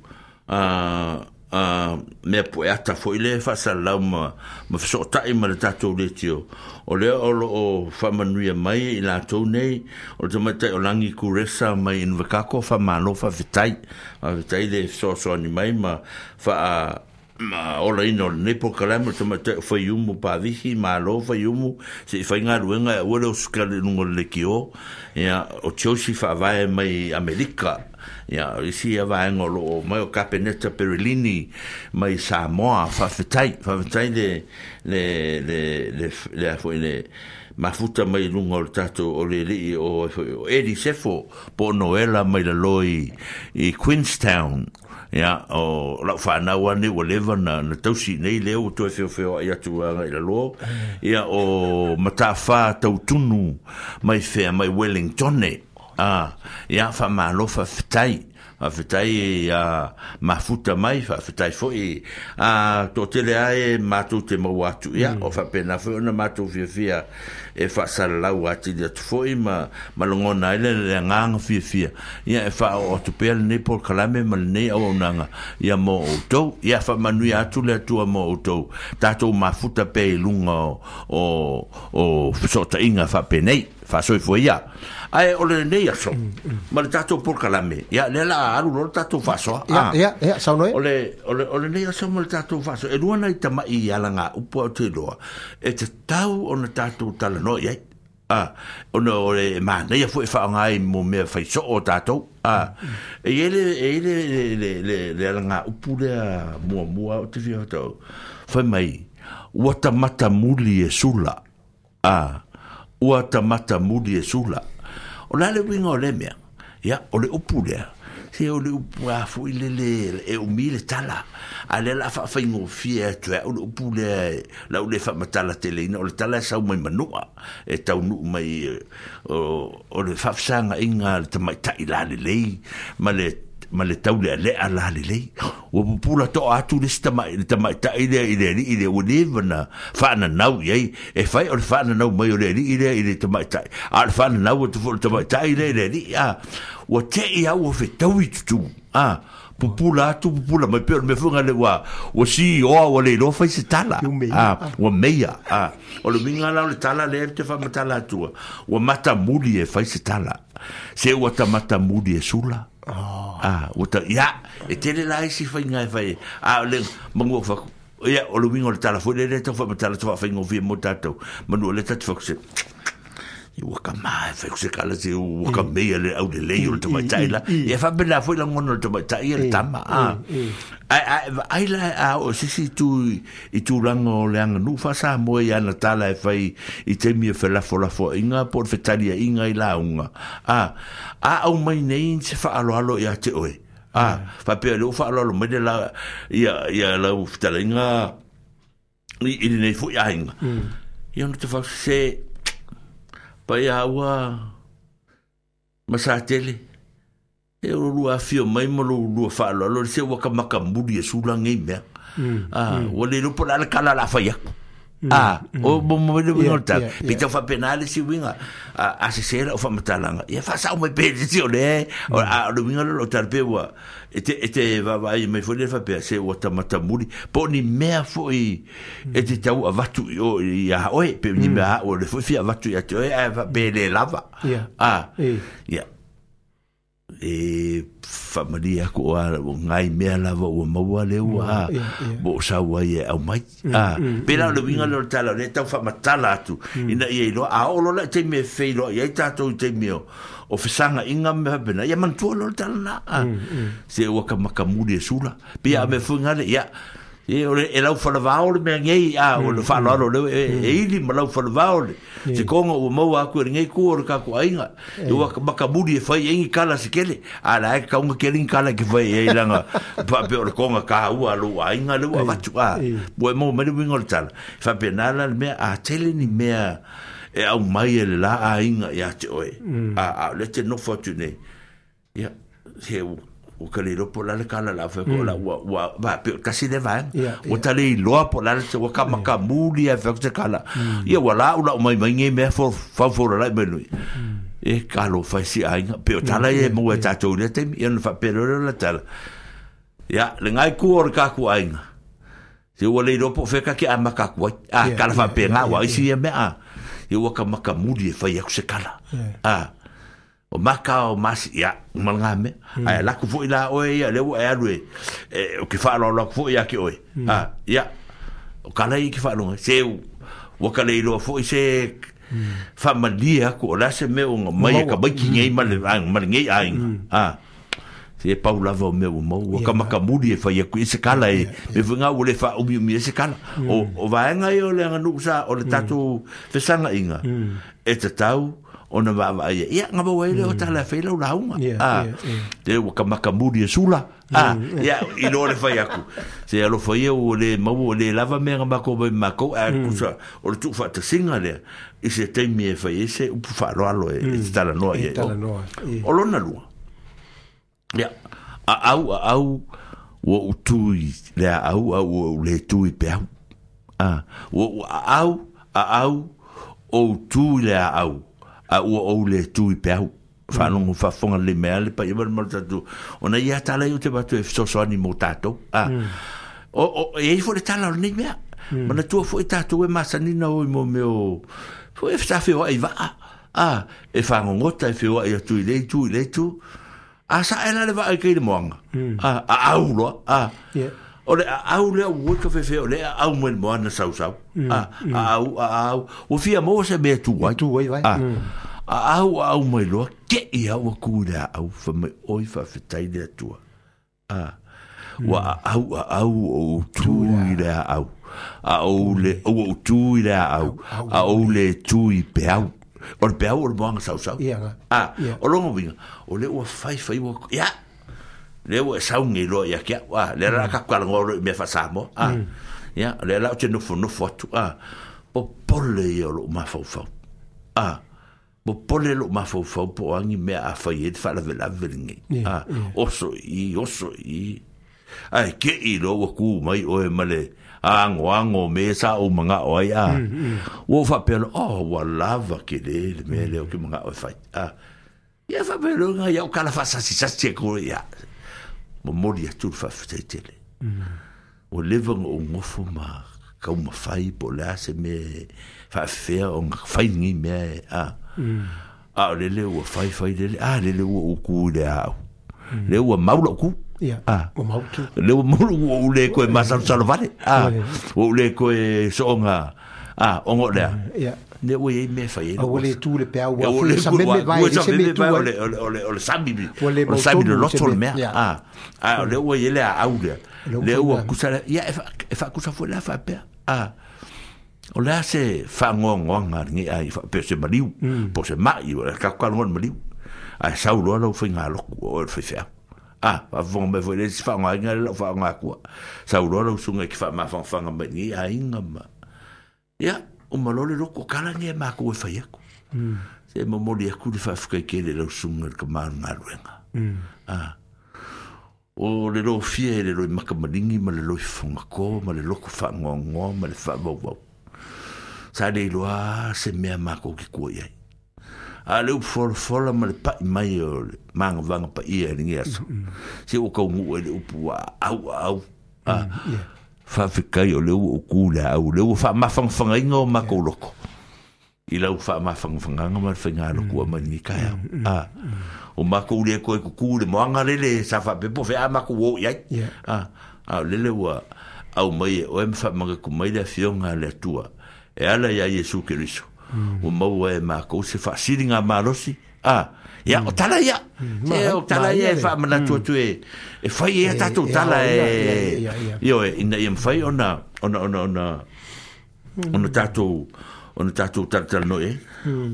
uh, uh, mea pueata foi le faasalalau ma, ma fesootai ma le tatou letio. O lea o loo faamanuia mai i latou nei, o le tamaitai o Lagi Kuresa mai Inverkako, faamalo faafetai. Faafetai le fesoasoani mai ma faa ma olaina o lenei polokalame o le tamaitai o Faiumu Pavihi, malo Faiumu, se i faigaluega e aua le osukale i luga o le lekiō. Ia, o Josie faavae mai Amerika. Ia, o isi ia vaega o loo mai o Kapeneta Perelini mai Samoa, faafetai, faafetai le le le le le foi le mafuta mai luga o le tatou o le alii o o Eddie Sefo po o Noela mai lalo i i Queenstown. Ia, o lau whanau ane ua leva na, na tausi nei lea ua toe feofeoai atu agai lalo. Ia, o Matawha Tautunu mai whea mai Wellingtone. Ah, ia, faamalo faafetai. Faafetai a mafuta mai, faafetai foi a toatele ae matou te maua atu. Ia, o faapena foi ona matou fiafia e faasalalau atili atu foi ma, ma lagona ai le le agaga fiafia. Ia, e faaoo atu pea lenei polokalame ma lenei auaunaga ia mo outou. Ia, faamanuia atu le Atua mo outou. Tatou mafuta pea i luga o, o, o fesootaiga faapenei. Faasoifua ia. Ae o lenei aso, ma le tatou polokalame, ia, lea la alu loa le tatou faasoa. Ia, ia, ia, saunoa. O le, o le, o lenei aso ma le tatou faasoa, e lua nai tama'i i alagaupu au te iloa, e tatau ona tatou talanoa i ai. Ah, ona o le manaia foi e faaaoga ai mo mea faisoo o tatou. Ah, e i ai le, e i ai le, le, le, le, le alagaupu lea muamua ou te fia faatau. Fai mai, ua tamata muli e sula. Ah, ua tamata muli e sula. O la le uiga o le mea, ia, o le upu lea, se o le upu a foi le le e umi le tala. A le la faafaigofie atu ai au le upu lea, lau le faamatala teleina, o le tala e sau mai manua, e taunuu mai o, o le faafesagaina a le tamaitai lalelei, ma le ma le taulealea lalelei. Ua pupula toa atu le isi tamai, le tamaitai lea i le alii lea, ua leva na faananau i ai, e fai o le faananau mai o le alii lea i le tamaitai, a o le faananau atu foi o le tamaitai lea i le alii. A, ua tei au ua fetaui tutu. A, pupula atu, pupula mai, pe o le mea foi ngale ua, ua sioa, ua le iloa fai se tala. A, ua meia. A, o le uiga la o le tala lea te faamatala atua, ua matamuli e fai se tala. Se ua tamata muli e sula. Ah, ua ta, ia, e tele la isi faiga e fai. A, o le manu o faku. Ia, o le uiga o le tala foi lea lea tau faamatala atu faafaigofie mo tatou. Manu o lea tatu faku se, ua ka maa e fai ku se kala se ua ka meia le au lelei o le tamaitai la. Ia faapena foi lagona o le tamaitai ia le tama. Ah. Ai, ai, ai la a o se isi itu i tulaga o le aganuu faa-Samoa i ana tala e fai i taimi e felafolafoaiga po o le fetaliaiga i lauga. Ah, a au mai nei se faaaloalo ia te oe. Ah, faapea le ua faaaloalo mai le la ia ia lau fetalaiga i, i lenei foi aiga. Ia ona te fau se paia ua masatele. E o lua afio mai ma lo lua faaaloalo le se ua ka makamuli e sula ngei mea. Ah, ua le iloa po o le a le kala o le a fai aku. Ah, o mo mo le uiga o le tala. Pe tau faapena le isi uiga, a, a sese lau faamatalaga, ia faasao mai pea i le isi o le, o, a o le uiga lea o lau tala pe ua, e te, e te vaavaai mai foi le faapea, se ua tamatamuli, po o ni mea foi e te tau avatu i o ia oe, pe ni mea au o le foi fia avatu ia te oe, ae faapea e le lava. Ia. Ah, E. ia. E faamalie aku o a o ngai mea lava ua maua le ua a Ia, ia. mo o sau ai e au mai. A, pe la o le uiga lea o le tala o lea tau faamatala atu ina ia iloa, a oo loa la i taimi e feiloai ai tatou i taimi o o fesagaina ma mea faapena, ia manatua loa le tala na. A, se ua ka makamuli e sula. Pe ia a mea foi ngale, ia, e o le e lau falavao le mea nei, a o le faaaloalo lea e, e ili ma lau falavao le se konga ua maua atu e lenei ku o le tatou aiga. E ua ka makamuli e fai ai ni kala se kele. A la e kaunga kele ni kala ke fai ai langa faapea o le konga kāua a lou aiga le ua avatu. A, ua e maua mai le uiga o le tala. Faapena la le mea, a tele ni mea e au mai e le la aiga ia te oe. A, a o lea te nofo atu nei. Ia, se o ka le lopo la le kala la fe ko la ua ua va pe kasi le va o ta le loa po la le wa ka maka muli e fe ko kala ia ua la ula mai mai nge me fo fa fo la mai lui e ka lo fa si ai pe o tala e mo e tatou le temi ia no fa pe lo la tala ia le ngai ku o ka ku ai se ua le lopo fe ka ke a maka ku a kala fa pe nga wa isi ia me a ia ua ka maka muli e fai aku se kala a o maka o masi ia malanga me ai la ku foi la oe ia le ua e alu e o ke fa lo lo foi ia ke oe a ia o kala i ke fa lo se ua ka le lo foi se fa malia ko la se me o mai ka mai ki nei mal mal nei ai a se pau lava o me o mau ua ka maka muli e fai aku i se kala e me funga ua le fa umi umi e se kala o o vaenga i o le anga sa o le tatou fesanga inga e tatau ona va ia ia ngaba wele o tala fe lau launga a te ua ka maka muli e sula a ia i lo le fai aku se alo fai o le mau o le lava me nga mako mai mako a kusa o le tu fa te singa le i se taimi e fai se upu fa lo alo e tala noa ia o lona lua ia a au a au ua utui le a au a ua le tui pe au a ua a au a au o utui le a au a ua ou le tui pe au whanongo whafonga le mea le pai mal mal tatu ona ia tala i te batu e fesoasoani mo tātou a o o e i fo le tala o nei mea mana tua fo i tātou e masanina o i mo meo fo e whawhi o ai waa a e whangongota e whioa i atu i le tu i le tu a sa ela le waa i kei le moanga a a au loa a o le a au lea ua ka whewhe o le a au mo le moana sau sau a a au a au o fia mo se mea tu ai tu ai vai a a au a au mai loa ke ia ua ku le a au fa mai oi fa fetai le atua a ua a au a au o tu i le a au a au le o tu i le a au a au le tu i pe au o le pe au o le moanga sau sau a o longo winga o le ua fai fai ua ia le ua saungi loa ia kia a le la ka kala ngolo me fa samo a ia le la o te nofo nofo atu a popole ia lo mafaufau a popole lo mafaufau po angi mea a fai e fa la vela velingi a oso i oso i ai ke i lo ua ku mai oe male ango ango me sa o manga o ai a ua fa pelo oh ua lava ke le le me le o ke manga o fai a ia fa pelo nga ia o kala fa sa si sa si ko ia mo mori atu le faafetai o leva o ngofo ma kau mawhai po lea se me faafea o ngā whai ngi mea e a a o lele ua whai whai lele a lele ua uku i le au le ua maula uku a le ua maula ua ule koe masalosalo vale a ua ule koe soonga a ongo lea ne ua iei mea whai e ua le tu le pea ua ua sa meme vai ua sa meme vai o le o le sami o le sami le loto le mea a a o le ua iei le a au lea le ua kusa ia e whakusa fo le a whapea a o lea se whangoangoanga ngi ai pe se maliu po se mai o le kakukalongo le maliu a sau loa lau whai ngā loku o le whai a whafonga mai foi le si whaonga le lau whaonga akua sau loa lau sunga ki whaamawhangawhanga mai ngi a inga ma ia o malole loko kala nge mako e whai aku se momoli aku le whaafkai ke le lau sunga le ka maru ngā luenga a o le lo fia e le loi makamalingi ma le loi whangako ma le loko whangoangoa ma le whaavauvau sa le iloa se mea mako ki kua iai a le upu folafola ma le pai mai o le mangavanga pa ia e le aso se o kau ngua e le upu a au au a whawhikai o le ua uku le au le ua whaamawhangawhangainga o mako loko i lau whaamawhangawhanganga ma le whainga loko a maningi kai au a o mako ule koe kuku le moanga lele sa whapepo whea mako wo iai a a lele ua au mai e oe mwhamanga kumai le afionga le atua e ala ia Iesu Keriso o maua e mākou se whaasiri ngā malosi a ia o tala ia se o tala ia e whaamanatu atu e e whai e tātou tala e io e ina ia mwhai ona ona ona ona ona tātou ona tātou tala tala no e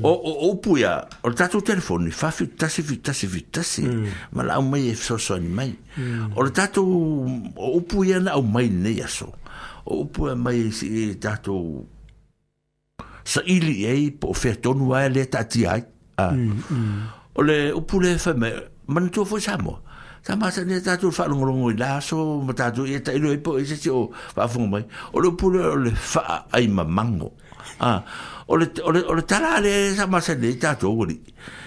o o upu ia o le tātou telefoni whawhi tasi fi tasi fi tasi ma la au mai e fesoasoani mai o le tātou o upu ia na au mai nei aso o upu ia mai e tātou sa ili ei po o whea tonu ai le tātia ai. O le upu le whai mai, manatua foi Samoa. Sa masani e tātou whaalongolongo i laso, ma tātou i e tailo e po e se o whaafongo mai. O le upule o le whaa ai mamango. Ah, o le, o le, o le tala ale sa masani e tātou wali.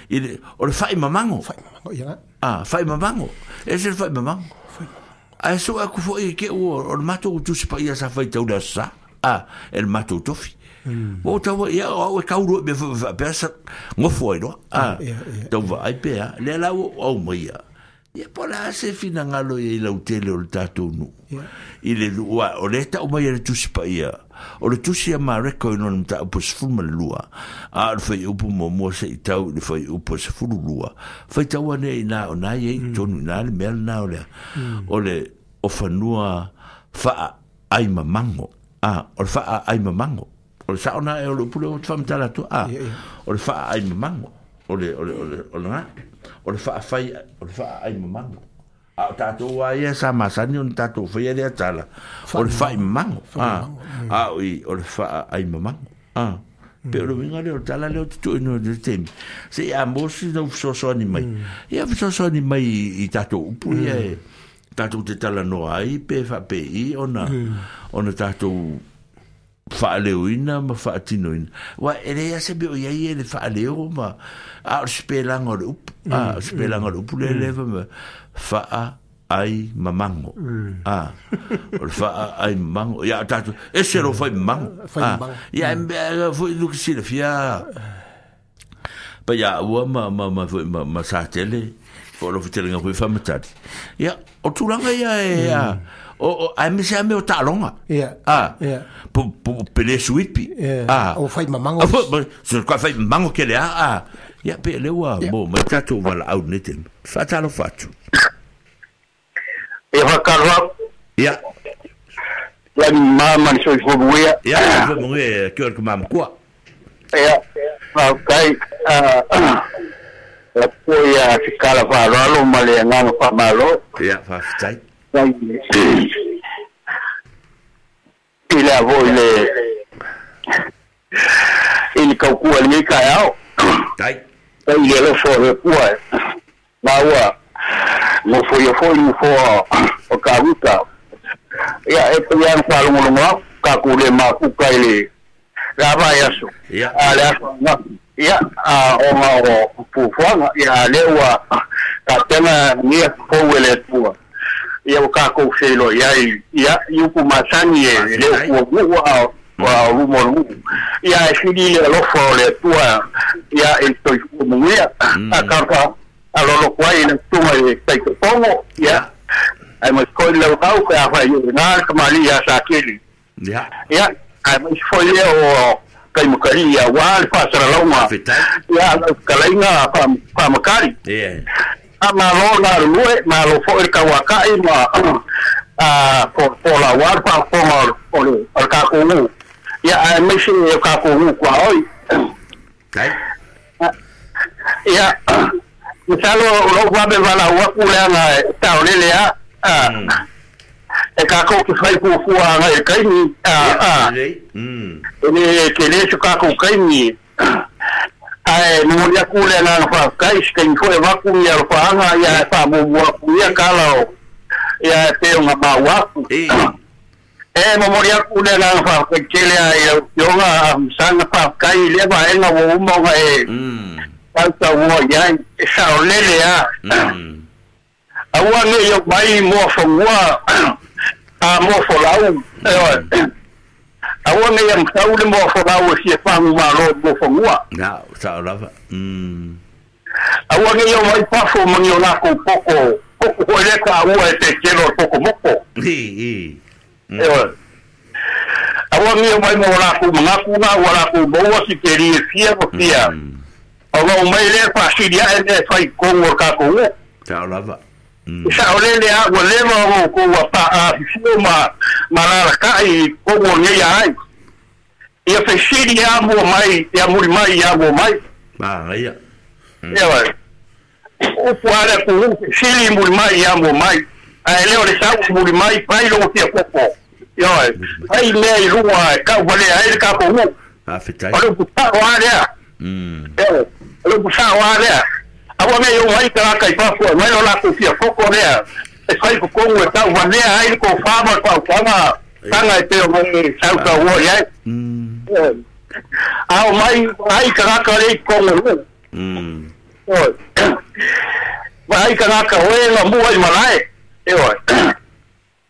I le, o le whaai mamango. Whaai mamango, ia. Ah, whaai mamango. E se le whaai mamango. Ae so aku foi ke o o le matou tusi pa ia sa fai tau le sa. Ah, e le matou tofi. O tau ia o e kauro me fa sa ngofo ai no. Ah, tau va ai pe a le la o au mai ia. Ia po la se finangalo ia i lau tele o le tātou nu. I le lua, o le tau mai le tusi pa ia. O le tusi a Mareko i nona mta upo sefulu ma le lua. A o le whai upo mua mua se i tau i le whai upo sefulu lua. Whai tau ane i nā o nā iei tonu i nā le mea le nā o lea. O le o whanua whaa ai mamango. A, o le whaa ai mamango. O le sao nā e o le upule o te whamtala atu. A, o le whaa ai mamango. O le, o le, o le, o le ngā. O le whaa whai, o le whaa ai mamango. A o tātou a ia sa masani o ni tātou whai area tala. O le whai mamango. A, a o i, o le whaa ai mamango. A, pe o le winga le o tala le o te tui no le temi. Se i a mosi na ufisosoani mai. Ia ufisosoani mai i tātou upu ia e tātou te tala noa ai pe wha pe i ona, ona tātou whaaleuina ma whaatinoina. Wa e lea se me o iai e le whaaleo ma a o spelanga o le upu. A o spelanga o le upu le lewa ma whaa ai mamango. A o le whaa ai mamango. Ia o tātou, e se ro whai mamango. A ia e mea fo i luki sila fia. Pa ia ua ma ma ma ma ma sa tele. Po lo fitelenga foi whamatari. Ia o tūranga ia e a o o ai me se ame o talonga. Ia. Ah. Ia. Po po pele suipi. Ah. O whai mamango. So ka whai mamango ke le a. Ah. Ia pe le ua mo mai tātou wala au ne te. Whatalo whatu. E whakarua. Ia. Ia ni mama ni soi whabuea. Ia, whabuea, kia ora ka mama kua. Ia, whaukai, la poi a te kala whaaralo ma le anganga whamalo. Ia, whawhitai. I le avo i le i le kaukua le kai ao. Tai. Tai le lofo o le pua. Maua, ngofo ia fo i ngofo o ka ruta. Ia, e pei ana whalongolongo au, ka kule makuka i le rava e aso. Ia. A le aso ngā. Ia, a o ngā o pufuanga, ia le ua ka tena ngia fou e le tua. Ia o kākou whelo, ia ia i upu masani e le ua mua o wa rumo lu. Ia e whiri le alofa o le tua, ia e toi mungia, a karpa a lolo kwa i le tunga i taikopongo, ia ai mai koi lau kau ka whai i ngā kamali ia sa kili. Ia. Ia, ai mai foi le o kai makari ia wā le whasara lauma. Ia, kalainga whamakari. Ia. A malo nā rue, malo fo e kawakai ma a po po la wā whafonga o le o le kākō. Ia, ai mai se o kākō kua oi. Tai. Ia, misalo lo wabe wala waku le anga tau lele a e kākou ki whai fuafua anga e kaini a a e le ke le su kākou kaini ae momoli aku le agaga faafetai se kaimi foi avaku ia alofaaga ia e faamuamua aku ia kala o ia e pe o gamau aku e momoli aku le agaga faafetai tele a i lau afioga masaga faafetai i lea vaega ua uma ona e tautaua iai e saolele a aua nei o mai moa fagua a moa folau aua nei a matau le moa folau e fia fagu malo moa fagua na sao lava aua nei o mai pafo mani o lako poko poko hoi le ka ua e te kelo poko moko i i aua nei o mai moa lako mangaku na ua lako maua si te ri e fia mo fia o lau mai le faasili ae le fai kongo o kākou o sao lava Sa o lele a ua leva o ko ua pa a fifio ma ma lalaka'i i kongo nei ai. Ia fesili a mua mai, ia muri mai, ia mua mai. Ma ia. Ia vai. Upu ale ku fesili muri mai, ia mua mai. Ae leo le sau muri mai, pai lo tia koko. Ia vai. Ai mea i lua e kau vale ai le kākou u. Faafetai. O le upu sao a lea. Mm. Ia o le upu sao a lea. Aua nei o mai tagata i fafo e mai lo latou fiafoko lea e fai totogu e tauvanea ai le tofā ma le faautaga taga e pei o mai sausauoa i ai. A o mai ai tagata lea i totonu o nuu. Ioe. Vaai tagata o e gamua i malae. Ioe.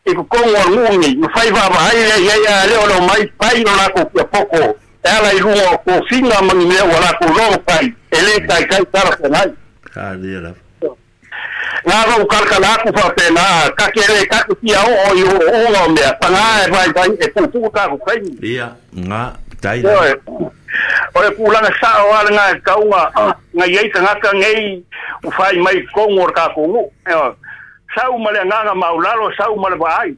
I totonu o le nuu nei, ma fai vaavaai lea i ai a lea o le omai fai lo latou fiafoko e ala i luga o tofiga ma ni mea ua latou logo fai e lē taitai talafeagai. Ngā rau kalakala aku whapena, ka ke re, ka te fia o i o o o mea, pangā e vai vai e pūpū tāku kaini. Ia, ngā, taila. O le pūlanga sao ala ngā e kaunga, ngā iei tangata ngei u whai mai kongo o kākou ngu. Sau male nganga maulalo, sau male vaai,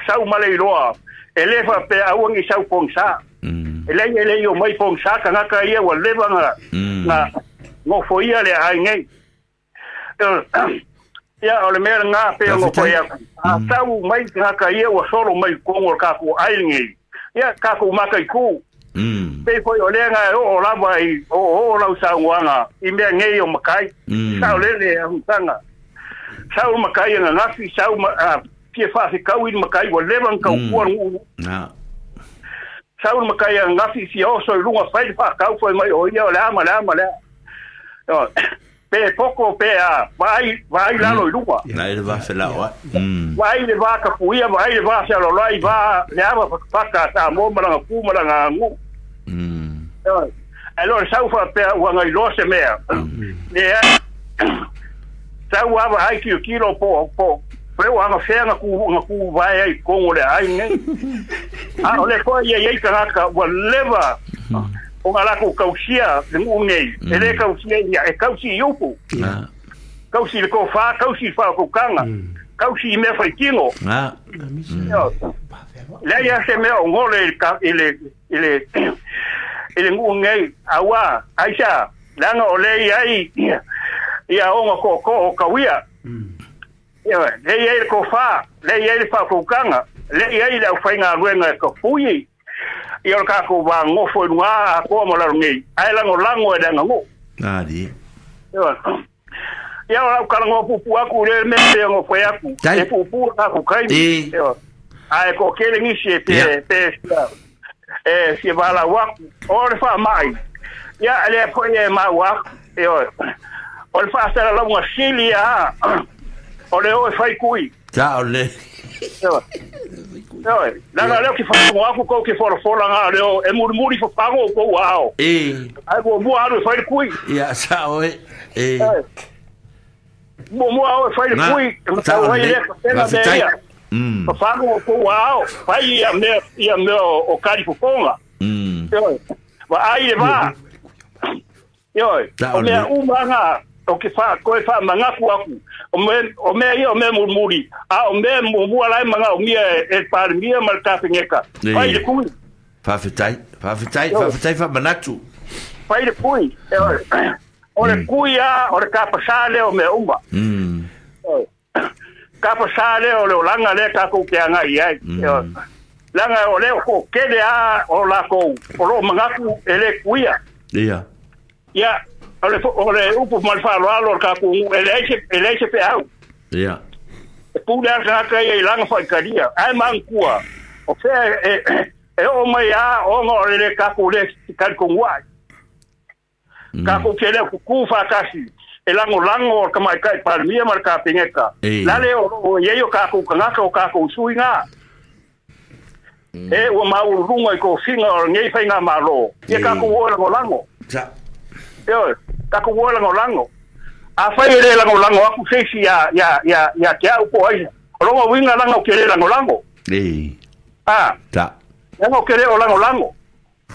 sau male iloa, e le whapea auangi sau pongsa. E lei e lei o mai pongsa, tangata ia ua lewa ngā, ngā ngofo ia le ai ngei. Ia o le mea ngā pea ngofo ia. A tau mai tangata ia ua solo mai kongo o kākou ai ngei. Ia kākou makai kū. Pei foi o lea ngā o o lava i o o lau saungoanga i mea ngei o makai. Sau lele a hutanga. Sau makai nga ngafi, sau fia whawhikau i makai ua lewa nga kaupua ngu. Sau makai nga ngafi fia oso i lunga whai whakau foi mai o ia o le ama le ama le a. Pe poko pe a vai vai lalo i lunga. Nai le vawhelawa. Vai le vā kapuia, vai le vā whialolai, vā le ama whakapaka tā mō maranga pū maranga ngu. E lo sau whapea ua ngai loa se mea. Le a sau ava ai kilo kilo po po peo anga whea nga ku nga ku vai ai kongo le ai nei. A o le koe ia iei tangata ua lewa o ngā lako kausia le ngu nei. E le kausia ia, e kausi i upu. Kausi le kōwhā, kausi i whaakaukanga. Kausi i mea whaitino. Lea ia se mea o ngole i le i le i le ngu nei. Aua, aisa, langa o le ia i ia onga kōkō o kawia. Le ia i le kōwhā, le ia i le whaakaukanga, le ia i le au whainga ruenga e kapui. Ia o le kākou wā ngofo i lunga a koa mo laro nei. Ai lango lango e langa ngō. Nā di. Ia o lau kalango pupu aku le mea pe ngofo e aku. E pupu aku kaimi. Ai ko kele ngisi e pe pe e si wala waku. O le wha mai. Ia le po e mau aku. O le wha sara launga sili a. O le o e whai kui. Ta o le. Oi, langa leo ki whango aku kou ki whorofola ngā leo e murimuri whapango o kou ao. E. Ai mua mua aru e whai le kui. Ia, sa oe. E. Mua mua au e whai le kui. Sa o le. le kapena mea ia. Whapango o kou ao. Whai ia mea, ia mea o kari fofonga. Oi. Wa ai le vā. Oi. O mea umanga. O ke wha, koe wha mangaku aku. O me, o mea ia o mea murimuri. A o mea mua lai manga o mia e, e parimia ma le tawhengeka. Whai le kui. Whawhetai, whawhetai, whawhetai wha manatu. Whai le kui. O le kui a, o le kapasā leo mea uma. Kapasā leo leo langa lea kākou ke anga i ai. Langa o leo ko kele a o lākou. O lo mangaku e le kuia. Ia. Ia. O le, o le upu ma le whaaloalo o le kākou ngu, e leai se, e leai se pe au. Ia. E pule a tangata ia i langa whaikaria. Ai mangkua. O whea e, e o mai a, o ngā o le le kākou le karikonguai. Kākou ke leo kuku whakasi. E lango lango o ka mai kai parimia ma le kāpengeka. Lale o, o iei o kākou kangaka o kākou sui ngā. E ua maulurunga i kōwhinga o ngei whai ngā mālo. Ia kākou o e lango lango. Sa. Ioe, kākou o e lango lango. A whai e le lango lango aku seisi ia, ia, ia, ia te au po aisa. O longa winga langa o ke le lango lango. E. Ah. Ta. Langa o ke le o lango lango.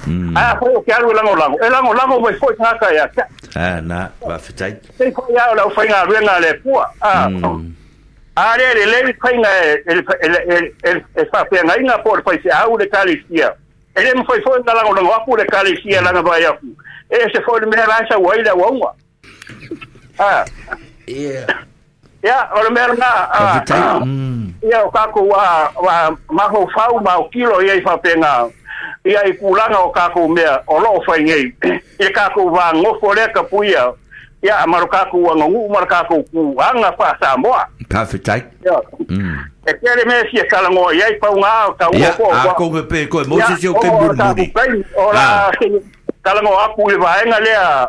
Mm. A whai o ke aru e lango lango. E lango lango mai foi ngaka ia. Ah, nā, whawhetai. Te whai au lau whai ngā ruenga le pua. Ah. Mm. A le le le whainga e, e, e, e, e, e whawhenga inga po le whai se au le kalesia. E le mwhai foi ngā lango lango aku le kalesia langa vai aku. E se foi le mea laisa ua i le uaunga. Ah. Yeah. Ia, o le mea ngā. Whawhetai. Mm. Ia o kākou wa, wa maho whau ma o kilo ia i whapenga. Ia i kūlanga o kākou mea o loo whai ngei. I kākou wā ngofo lea kapuia. Ia ma lo kākou aganuu ma le kākou kuaga faa-Samoa. Faafetai. E tele mea fia talanoa i ai paugā o taua po a kou pe koe mo se o ke mulimuli o la talanoa aku i le vaega lea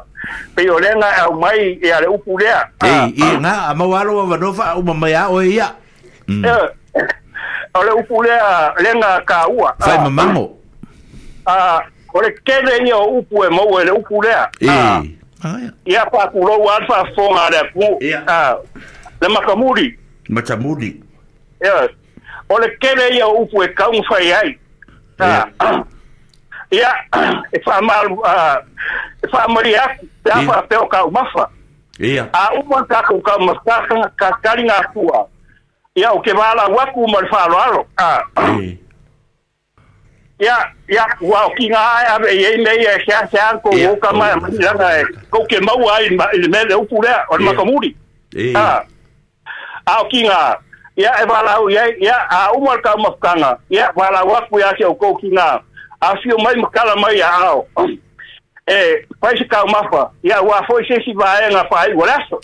pei o lea na aumai ia le upu lea. Ei i ngā a mau alo avanoa faauma mai a oe ia. O le upu lea lea na kāua fai mamago. A o le tele ia o upu e maua e le upu lea. Ei ia faakulou a le faafofoga a le atunuu le matamuli. Matamuli. Ia o le tele ia o upu e taumafai ai. Ia e faamalu e faamalie atu pe a faapea o taumafa. Ia a uma tatou taumafataga tataliga atua. Ia o ke valaau atu ma le faaaloalo. Ia ia ua o kiga ae ave i ai mea ia e seasea kou oka mai lana e kou ke maua ai i le mea le upu lea o le matamuli. A a o kiga ia e valaau i ai ia a uma le taumafataga ia valaau atu ia te outou kiga afio mai ma tala mai aao e fai se taumafa ia ua foi se isi vaega faaiu o le aso.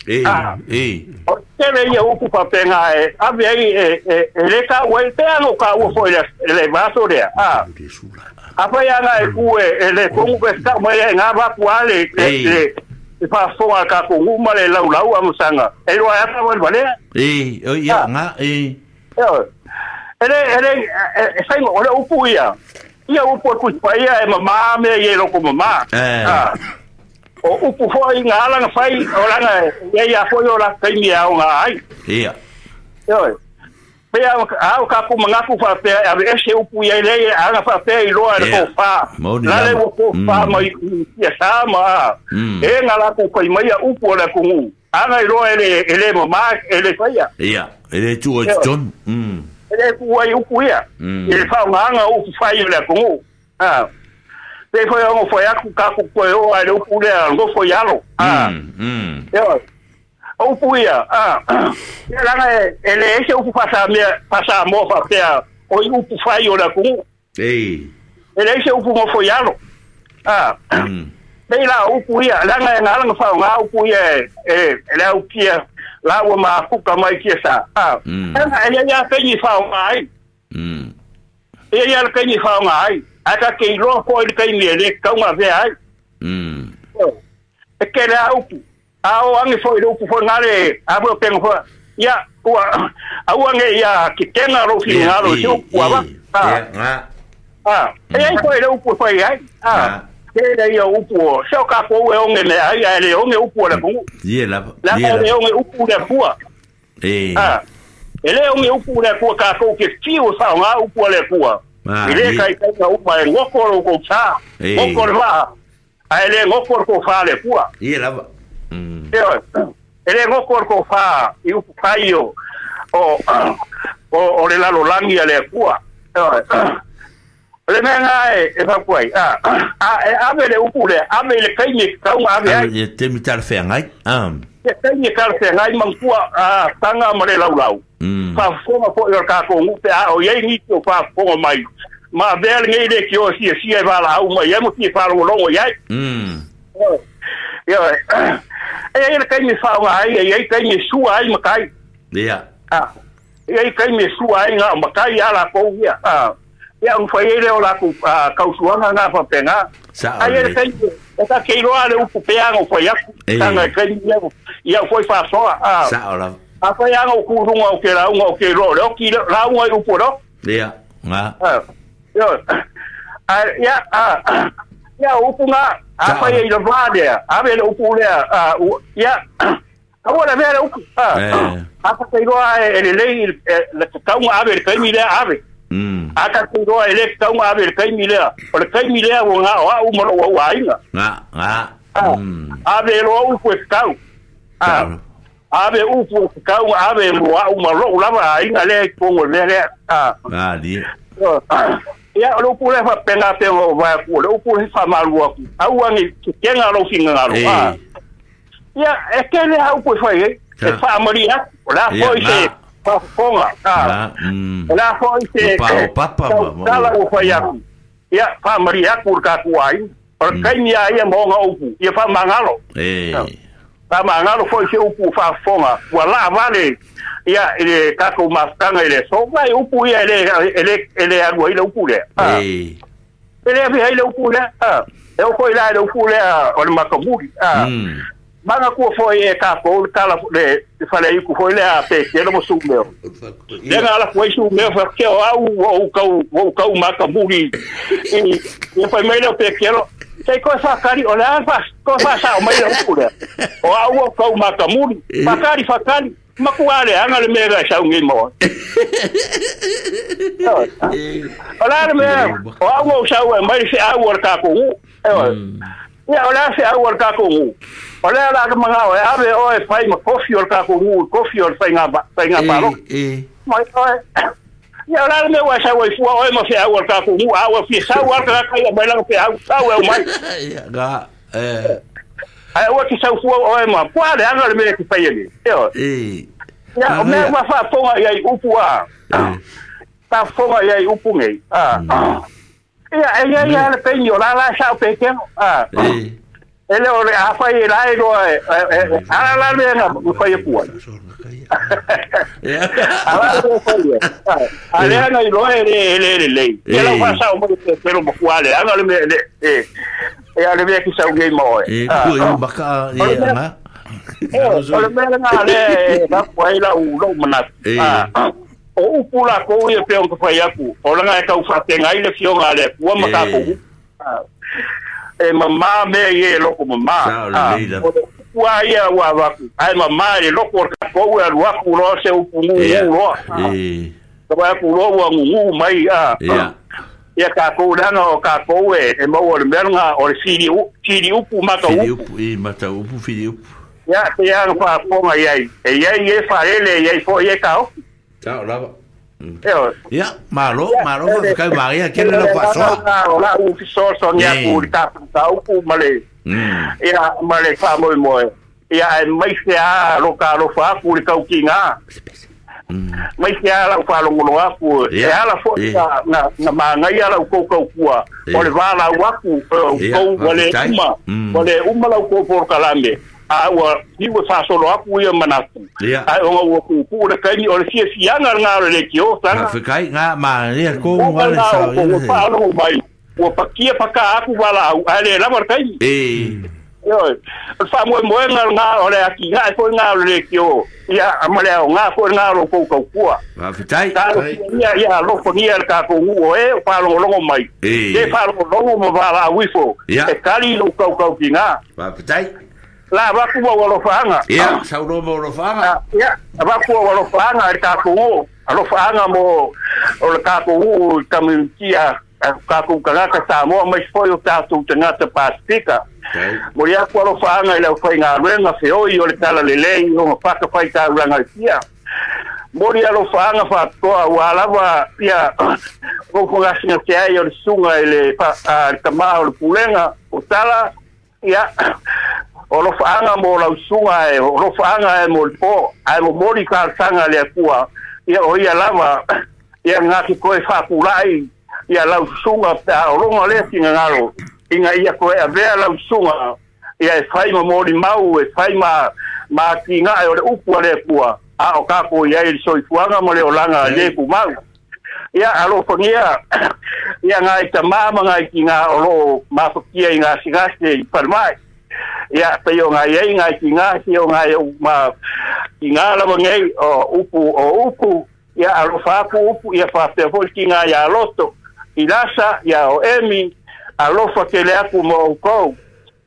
O tele ia upu faapega e ave ai e e le taua ai pe ana o taua foi le le vaso lea. Afai ana e ku e le kogu pe tau mai e ngā vaku a le le e faafofoga a le tatou nuu ma le laulau amasaga e iloa ai ata wale valea. Ei ia ngā e e le e le e faiga o le upu ia ia upu e kusipaia e mamā mea ia i loko mamā. O upu foi ngā alanga fai o langa ia ia foi o la taimi e aoga ai. Ia. Ioe. Pea au ka ku mangaku faapea e ave ese upu ia lei anga faapea i loa e le kofā. La le ua kofā mai ia sa ma e ngā lākou fai mai a upu o le atunuu. Anga i loa e le e le mamā e le faia. Ia, e le tuu ai totonu. E le tuu ai upu ia. I le faaaogaga o upu fai o le atunuu. Pe foi o foi aku ka ku koe o ai le upu lea nofo i alo. Ioe. O upu ia, ia laga e le ese upu faasamea faasamoa faapea o i upu fai o le atunuu. Ei. E le ese upu nofo i alo. Pei la upu ia, laga e ngalaga faaaoga upu ia e le aukia laua mafuka mai kia sa. E le ia taimi faaaoga ai. E ia le taimi faaaoga ai. Ae ka ke iloa foi le taimi e le tauga avea ai. E tele a upu. A o age foi le upu foi gale a foi o pega foi. Ia ua aua ge ia ketega lou finagalo i se upu ava. E ai foi le upu e fai ai. Tele ia upu o se o kakou e oge mea ai ae le oge upu o le atunuu. Ie lava. Laga e le oge upu le Atua. E le oge upu le Atua kakou ke fiu e faaaoga upu a le Atua. I le taitaiga uma e goko lou kousā, goko le vaa, ae le goko le kofā le Atua. Ie lava. Ioe, e le goko le kofā i upu fai o o o le lalolagi a le Atua. Ioe, o le mea gā e e fautua ai, a e ave le upu lea, ave i le taimi e tatau ave ai. E taimi talafeagai. E taimi e talafeagai manatua taga ma le laulau. Faafofoga foi o le tatou nuu pe a o iai nisi o faafofoga mai. Ma avea lenei le tio siasia e valaau mai ai ma fia faalogologo i ai. Ioe, e ai le taimi e faaaoga ai, e iai taimi e sua ai matai. Ia. E ai taimi e sua ai ngā matai a lakou ia. Ia ona fai ai lea o lakou tausuaga ngā faapega. Ai ai le taimi e ta ke iloa le upu peaga o fai atu. Taga e taimi ia au foi faasoa. Sao lava. A fai aga o kuluga o ke lauga o ke iloa o le oki lauga i upu o le oki. Ia, ngā. Ioe. Ia, ia upu ngā, a fai ai le vā lea, ave le upu lea, ia, aua le avea le upu. A fa iloa e lelei le tatauga ave le taimi lea ave. A ka iloa e le tatauga ave le taimi lea, o le taimi lea ua ngā o au ma lou au aiga. Ngā, ngā. Ave loa upu e tatau. Ave upu e tatau, ave loa au ma lou lava aiga lea i totonu o le mea lea. Malie. Ia o le upu lea faapena pea o vae atu, o le upu lea faamalu atu, aua ni tetega lou finagalo. Ia e tele a upu e fai ai, e faamalie atu, o le a foi se faafofoga. O le a foi se tautala ua fai atu. Ia faamalie atu le tatou aiga. O le taimi a ia ma ona upu, ia faamagalo. E. Pa mangalo foi se upu faafofoga ua laavale ia i le tatou mafutaga i le aso vai upu ia e le e le alu ai le upu lea e le afe ai le upu lea e oo foi la i le upu lea o le matamuli maga kua foi e tatou le tala le faleiku foi lea Petelo ma Sumeo lea na ala foi Sumeo faapea o au ua ou tau ua ou tau matamuli ia fai mai lea o Petelo sei koe whakari, o le a koe whasao mai le upu lea. O au o kau matamuri, whakari, whakari, maku a le anga le mea sau ngei moa. O le a le mea, o au o sau e mai se au o le kākou ngu. Ia, o le a se au o le kākou ngu. O le a la ka mangao e ave o e whai ma kofi o le kākou ngu, kofi o le whai ngā paro. Mai oe. Ia, o le a le mea ua sau ai fua oe ma se au o le kākou ngu, a ua fia sau al ka kai mai langa pe au sau e o mai. Ia, ga, eh. Ai ua ki sau fua oe ma, pua le anga le mea ki whai ele. Ia, o mea ua whaafonga ia i upu a. Whaafonga ia i upu ngei. Ia, e ia ia le peini o la la sau pe keno. Ele o le a whai e lai roa e, ala la mea nga whai e pua. Ala le whai e. A lea nga i roa e le le le le. Ia lau whasao mai te pero makua le anga le mea le, e a le mea ki sau ngei maoe. E kua i maka e anga. O le mea nga le rapu ai lau lou manatu. O upu la kou ia pe onga whai aku. O langa e kau whatenga i le fionga le kua makakou. E mamā mea i e loko mamā. O le upua ia ua waku. Ai mamā e loko o kākou e alu aku loa se upu ngungu loa. Ka wai aku loa ua ngungu mai. Ia kākou langa o kākou e e maua le mea nga o le fili upu mata upu. Fili upu, i mata upu, fili upu. Ia, te ia nga whaafonga iai. E iai e wharele, iai fo i e kao. Tao lava. Ia, malo, malo, whakau maria, kere lau whaasoa. O la u fisoso ni aku i tāpu tā upu ma le, ia, ma le whaamoi moe. Ia, e mai se a roka alofa aku le kau ki ngā. Mai se a lau whaalongolo aku. E ala fo na, na maangai ala u kau kua. O le wālau aku, kau wale uma, wale uma lau kau porokalame. A ua niu e whaasolo aku ia manatu. Ai onga ua kuku le kaini o le fia fianga ngā o le ki o tanga. Ngā whikai, ngā maania kō ngā le sao. Ua whaalongo mai, ua pakia paka aku wala au, ai le lama le kaini. E. O le whaamoe moenga ngā o le aki ngā e fo ngā o le ki o. Ia, amale au ngā fo ngā o kou kau kua. Ngā whitai. Ia, ia, lofo nia le kākou ngu o e, o whaalongolongo mai. E whaalongolongo ma wala uifo. E kari lo kau kau ki ngā. Ngā whitai. La vaku wa alofaanga. Ia, saulo mo alofaanga. Ia, vaku wa alofaanga i tākou alofaanga mo o le tākou i community a kākou kanaka Samoa mai foi o tātou tangata Pasifika. Mo ia ku alofaanga i lau whaingaluega feoi o le tala lelei o ngawhaka whai tāuranga i tia. Mo ia alofaanga whaatoa ua lava ia koufongasinga te ai o le sunga i le tamā o le pulega o tala ia o lofaanga mo lau sunga e, o lofaanga e mo le po, ai mo mori kālsanga le akua, ia o ia lava, ia ngā ki koe whāpulai, ia lau sunga, o longa lea tinga ngaro, inga ia koe avea lau sunga, ia e whai ma mori mau, e whai ma, ma ki ngā e o le upu a le akua, a o kākou ia i le soifuanga mo le olanga le ku mau. Ia alofangia, ia ngā i tamā ma ngā i ki ngā o lo mafakia i ngā sigase i parmai. Ia, pe o ngā iei, ngā ki ngā, si o ngā ma, ki ngā lava ngei, o upu, o upu, ia alofa aku upu, ia whapea foi ki ngā ia loto, i lasa, ia o emi, alofa ke le aku mo o kou.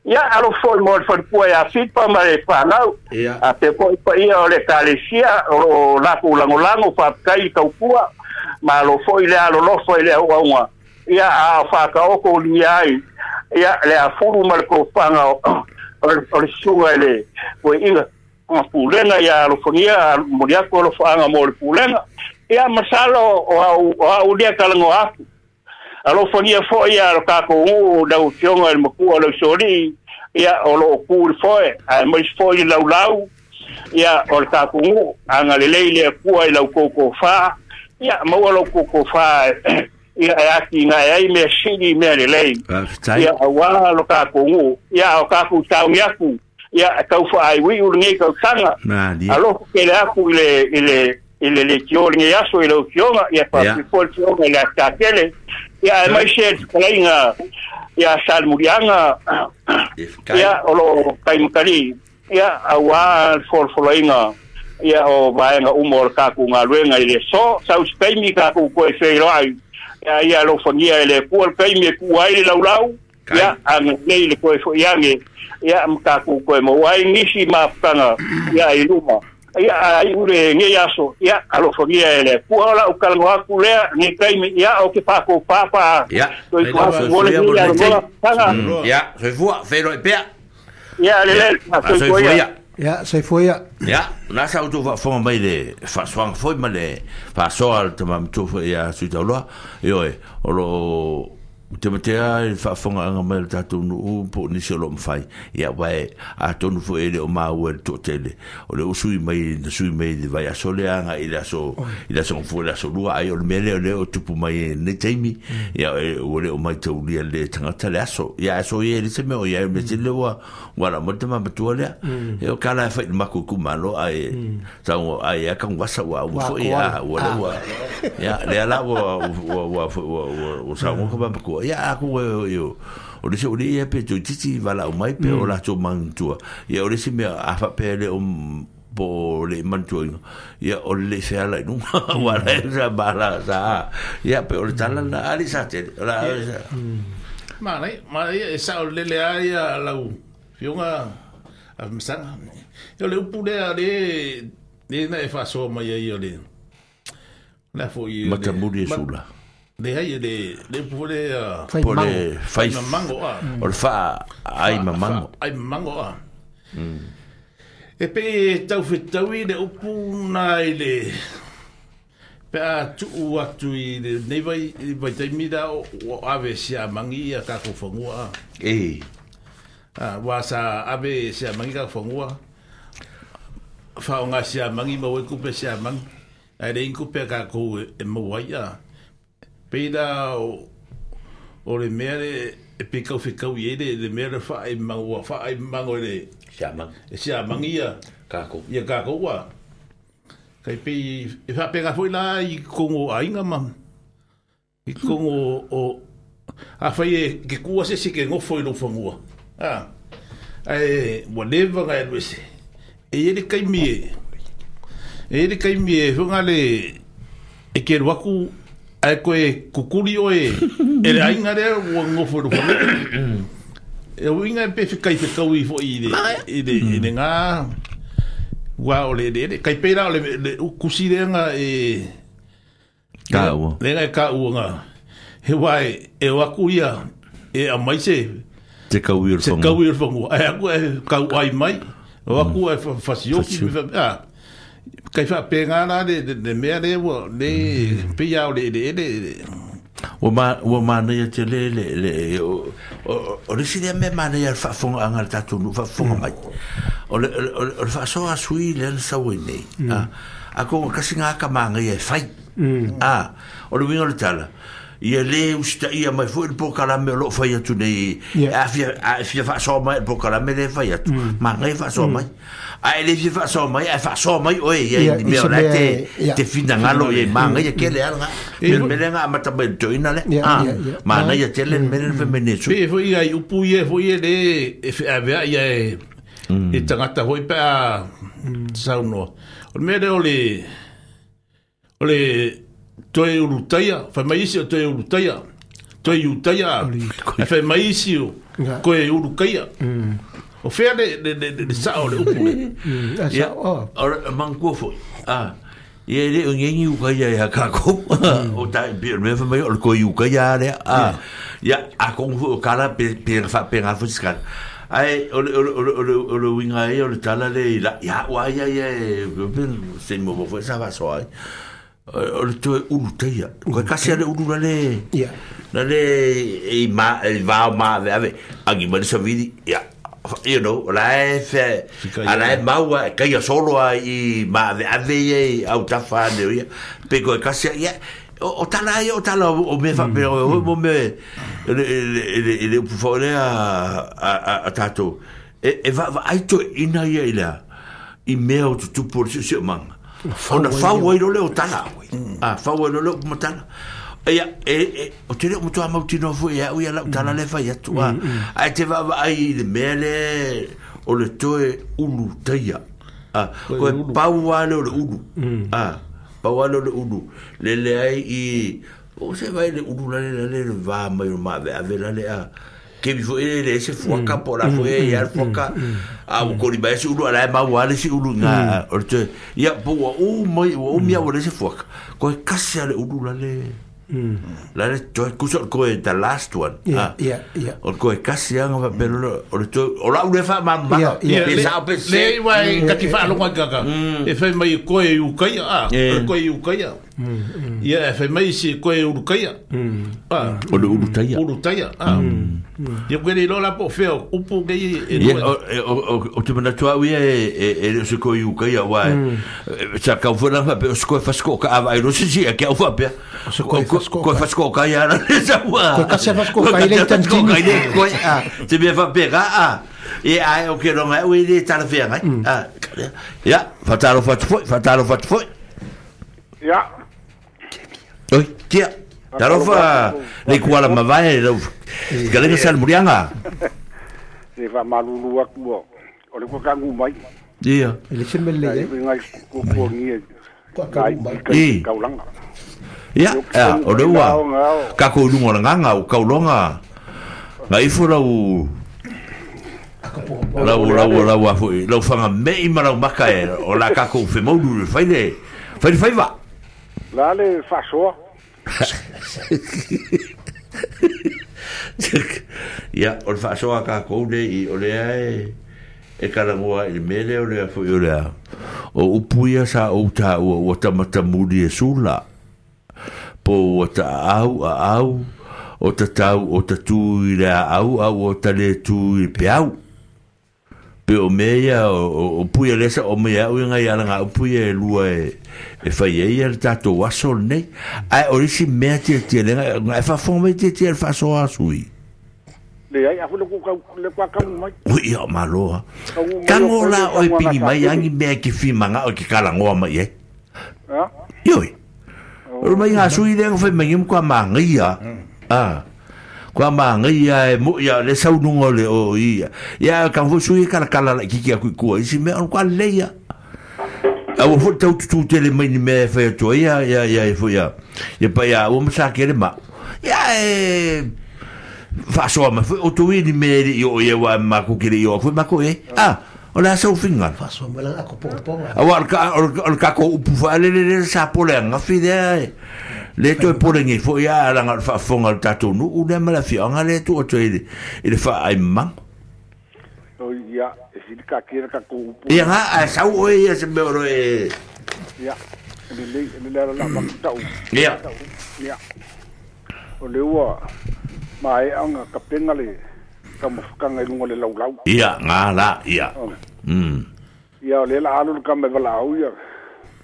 Ia alofa mo le wharipua ia whipa ma le whanau, a te foi pa ia o le kalesia, o lako langolango, whapakai i kaupua, ma alofa i le alolofa i le auaunga. Ia a whakaoko li ai, ia le afuru ma le kofanga o o le sunga le koe inga o pulega ia alofangia moli aku alofaanga mo le pulega ia masalo o au o au lia kalango aku alofangia foi ia lo kākou uu lau fioga i le makua lau soli ia o loo ku le foe ae mai foi le laulau ia o le kākou uu agalelei le akua i lau koukoufā ia maua lau koukoufā ia e aki ngā ai mea sili mea lelei. Ia auā lo kākou uu ia o kākou tauni aku Ia tau faaiuiu lenei tausaga. Alofa tele aku i le i le i le leitio lenei aso i lau Afioga, ia faapea foi le Afioga i le Asitatele. Ia aemaise le fetalaiga ia Salemuliaga, ia o loo taimatali, ia auā le folafolaina ia o vaega uma o le tatou galuega i le aso. Sau se taimi tatou toe feiloai, ia ia alofagia e le Atua le taimi e tuu ai le laulau, ia agalelei le toe foi age, ia ma tatou toe maua ai nisi mafutaga ia i luma. Ia ai ule lenei aso, ia alofagia e le Atua. O lau talanoa atu lea lenei taimi, ia o ke fakou papa. Ia, soifua mo le mafutaga. Ia, soifua, feiloai pea. Ia, lelei, soifua ia. Ia, soifua ia. Ia, na sa outou faafofoga mai le faasoaga foi ma le faasoa a le tamamatua foi ia Suitauloa. Ioe, o loo tematea i le faafofogaaga mai o le tatou nuu po o nisi o loo mafai. Ia, uae atonu foi e le o maua e le toatele o le usui mai na sui mai i le vaiaso lea agai i le aso i le aso gafua i le aso lua, ai o le mea lea o lea o tupu mai i lenei taimi. Ia, ua le o maitaulia le tagata le aso. Ia, aso ia e le se mea o iai o le mea tele ua ua ala mai le tamamatua lea. Ia, o kala e fai i le maku itumalo, ae sauga ai a kaguvasa ua auma foi, ia ua le ua ia lea la ua ua ua ua ua sauga ka mamatua. Ia aku e o o le se o le ia pe toititi valaau mai pe o latou manatua. Ia o le isi mea a faapea le o po o le manatuaina, ia o le lei feala i luga ua la e sa mala sa. Ia pe o le tala lena ali sa tele o la sa. Manai, manai e sao lele a ia lau fioga a masaga. Ia o le upu lea le le na e faasoa mai ai o le la foi matamuli e sula. Le ai le le upu le po le fai mamango a. O le faa ai mamango. Ai mamango a. E pe tau fetaui le upu na i le pe a tuu atu i le nei vai vai taimi la o ave sia mangi ia ka ko fangua. E. A wa sa ave sia mangi ka fangua. Fa o sia mangi ma we kupe sia mangi. Ai le kupe ka ko e mo ai a. Peida o o le mea le e pe kau whekau i e le mea le wha ai mango wha ai mango le sia mangi. E sia mangi ia kako. Ia kako ua. Kai pe e whapenga foi la i kongo ainga ma. I kongo o a whai e ke kua se se ke ngofo i lo whangua. Ah. Ai wa leva ngai luese. E ele kai mi e. E ele kai mi e whanga le e ke ruaku ai koe kukuri oe e le ainga lea ua ngofo i lo whangua. E uinga e pe whikai whekau i foi i le i le i le ngā ua o le le kai pērā o le le kusi leanga e ka ua leanga e ka ua ngā he wā e e o aku ia e a mai se te kau i o le se whangua. Kau i o le whangua. Ai aku e kau ai mai o aku e whasioki ah kai whapenga rā le le mea le ua le pia o le le le Ua ma ua manaia tele le le o o le isi lea mea manaia le faafofogaaga a le tatou nuu faafofoga mai. O le o le faasoa a sui lea na sau ai nei. A a konga kasi ngā ka māngaia e fai. A o le uiga o le tala ia le usitaia mai foi le polokalame o loo fai atu nei. A fia a fia faasoa mai le polokalame le fai atu. Māngaia faasoa mai. A e le fia faasoa mai ae faasoa mai oe ia i mea o la te te finagalo ia māngaia kele ala ngā. Pe le mea lea ngā amata mai le toeina lea. A māngaia tele le mea lea na fai mai nei sui. Pe foi ai upu ia foi e le e wheawea ia e e tangata foi pe a saunoa. O le mea lea o le o le toe urutaia, whai mai isi o toe urutaia, toe utaia, whai mai isi o koe urukaia. O whea le, le, le, le, le sao le upu le. Ia, o le mangkua foi. Ah, ia le o ngengi ukaia ia kako. O tai, pe mea whai mai o le koe ukaia lea. Ah, ia, a kongu foi o kala pe, pe, pe ngā foi sikala. Ai, o le, o le, o le, o le, o le winga e, o le tala le, i la, ia, ua ia, ia, e, se mo mo foi sa vasoa ai. O le toe uluteia. Koe kasi ale ulu na le na le i ma i vao ma ave ave angi mai le savili ia you know o la e fe a la e maua e kaia solo a i ma ave ave ia i au tafa ane o ia pe koe kasi ia o tala ai o tala o mea faapea o mo mea le le le upu foi lea a a a tatou E e va va ai to ina ia i lea i mea o tutupu o le siosiomaga ona fau ai lo le o tala a fau ai lo le o matala ia e e o te le o matua mautinoa foi e au ia lau tala le fai atu a ae te vaavaai i le mea le o le toe ulu taia a koe pau a le o le ulu a pau a le o le ulu le leai i o se vai le ulu lale lale le va mai o maaveave lale a ke bi foi le se fuaka po la foi ia fuaka a o kori mai se ulu ala ma wa le se ulu nga o te ia po wa o mai o mia o le se fuaka ko kasi ale ulu lale la le to kuso ko the last one yeah yeah yeah o ko kasi anga va pelo o le to o la ule fa ma ma le sa pe le wai ka ti fa lo ka ka e fai mai ko e u kai a ko e u kai a ia e fai mai si ko e u kai a o le ulu taia ulu taia a ia ko le la po fe o po ke e o o te mana tua ia e e se ko u kai a wa sa ka fo la fa pe o ko fa sko ka va i lo si si ke o fa pe ko ko fa sko ka ia la sa wa ko ka se fa sko ka ile tantini ko a te me fa pe a e ai o ke lo ngai o ile tala fe ngai a ya fa talo fa foi fa talo fa foi ya oi tia talo fa le kuala mavae lo galega sal murianga se fa malulu aku o le ko kangu mai ia ele se mele ngai ko ko ni ko kangu mai kaulanga ia o le ua ka ko lunga nganga o kaulonga ngai fo lau lau lau lau a foi lau fanga mei ma lau maka e o la ka ko fe maulu le fai le fai le fai va la le fasoa ia o le faasoa ka kou le i o lea e e kalangoa i le mele o lea foi o lea o upu ia sa ou taua ua tamatamuli e sula po ua taau aau o tatau o tatu i le aau au o tale tu i peau pe o mea ia o puia lesa o mea au inga ia langa o puia e lua e e fai ai le tatou aso lenei ae o le isi mea tiatia lenga e faafofoga mai tiatia le faasoa sui le ai afu le ku le kwa kamu mai ui ia maloa tango la oi pigi mai angi mea ke fimanga o ke kalangoa mai ai ha ioi o mai nga sui le fai mai kwa mangia ah kwa mangia e mo ia le saununga le o ia ia ka fo sui kala kala la kiki aku ku isi me on kwa leia au fo tau tu tele mai ni me fa to ia ia ia fo ia ia pa ia o msa ke le ma ia e fa so ma fo o tu ni me i o ia wa ma ku kiri o fo ma ko e ah o la sau finga fa so ma la ko po po a ka o ka ko upu fa le le sa po le nga fi de le toe polenge fo ia la nga fa fonga tatou nu u le ma la fi anga le tu o toe i le fa ai mang o ia e si ka kira ka ko upu ia nga a sau o ia se me oro e ia le le le la la ma tau ia ia o le ua ma e anga ka penga le ka mofukanga i lunga le laulau ia nga la ia mm ia o le la alu ka me vala au ia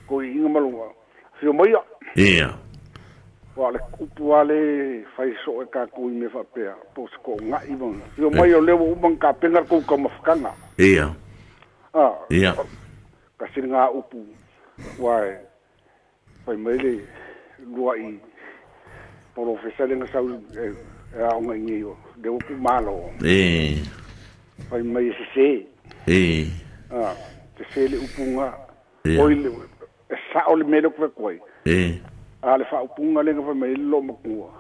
ko i inga malunga fio mai ia ia wa le kupu ale fai so e ka ku i me fa pea po se ko ngai bon fio mai o le o mang ka penga ko ka mofukanga ia ah ia ka singa upu wa fai mai le lua i professor le nga sau e a onga ngi o de o ku malo e fai mai se se e ah te se le upunga o ile sa o le mele ko ko e a le fa upunga le nga mai lo makua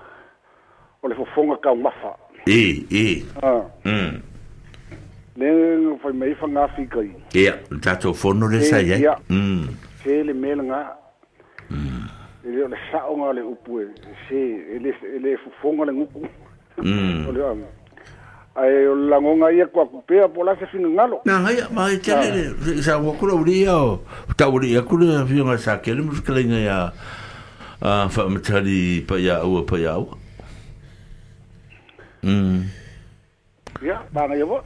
o le fofonga ka mafa e e ah mm le fai mai fa nga fi kai ia tatou fono le sa ia mm se le mele nga mm ele o le sa o nga le upu e se ele ele fofonga le nguku mm o le ai o la ngonga ia kwa kupea pola se fingalo na ngai ma e tele le sa wa kula uri ia o ta uri ia kula fionga sa kele mo skele ia a fa matali pa ia ua pa ia ua mm ia ba ngai bo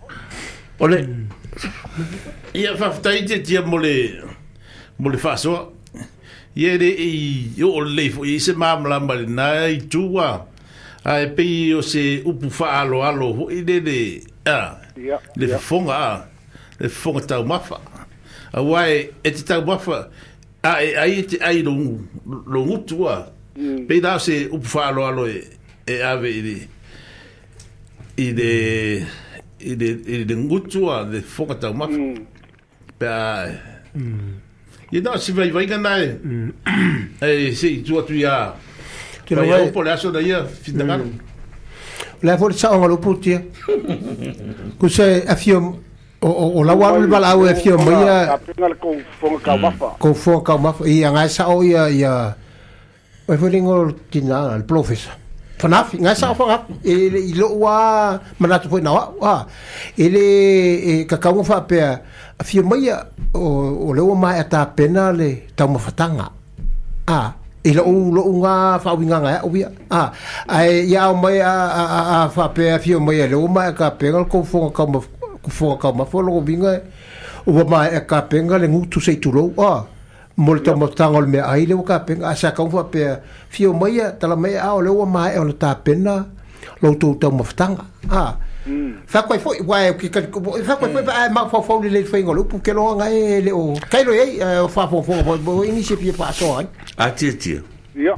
ole ia fa ftai te tia mo le mo le fasoa ia le i o le fo i se mamla ma na i tua ai pe o se upu fa alo alo ho i le le a Le fofoga a le fofoga taumafa auā e te taumafa a e ai e te ai lo lo gutu a pei la o se upu faaaloalo e e ave i le i le i le i le gutu a le fofoga taumafa pe a ia na o se vaivaiga na e e seʻi tu atu iā pai po le aso na ia finagalo le foi sa o lo putia ku se afio o o la wa le bala o afio mai a penga ko fonga ka mafa ko fonga ka mafa ia ngai sa o ia ia o foi lingo tina al professor fanafi ngai sa fonga e i lo wa manatu foi na wa ele ka ka fa pe afio mai o o le o mai ta pena le taumafatanga a i lo lo unga fa winga nga o ia a ai ia o mai a a a fa pe afio mai le o mai ka penga ko fonga ka ko fonga ka ma fo lo winga o mai ka penga le ngutu sei tu lo a mo le taumafatanga o le mea ai le o ka penga a sa ka fa pe fio mai tala mai a o le o mai o le ta pena lo tu taumafatanga a fa koe foi wa ki ka fa koe foi a ma fa fa le foi ngolo pu ke lo nga e le o kai lo e fa fa fa bo ini se pie pa so ai a ti ti ia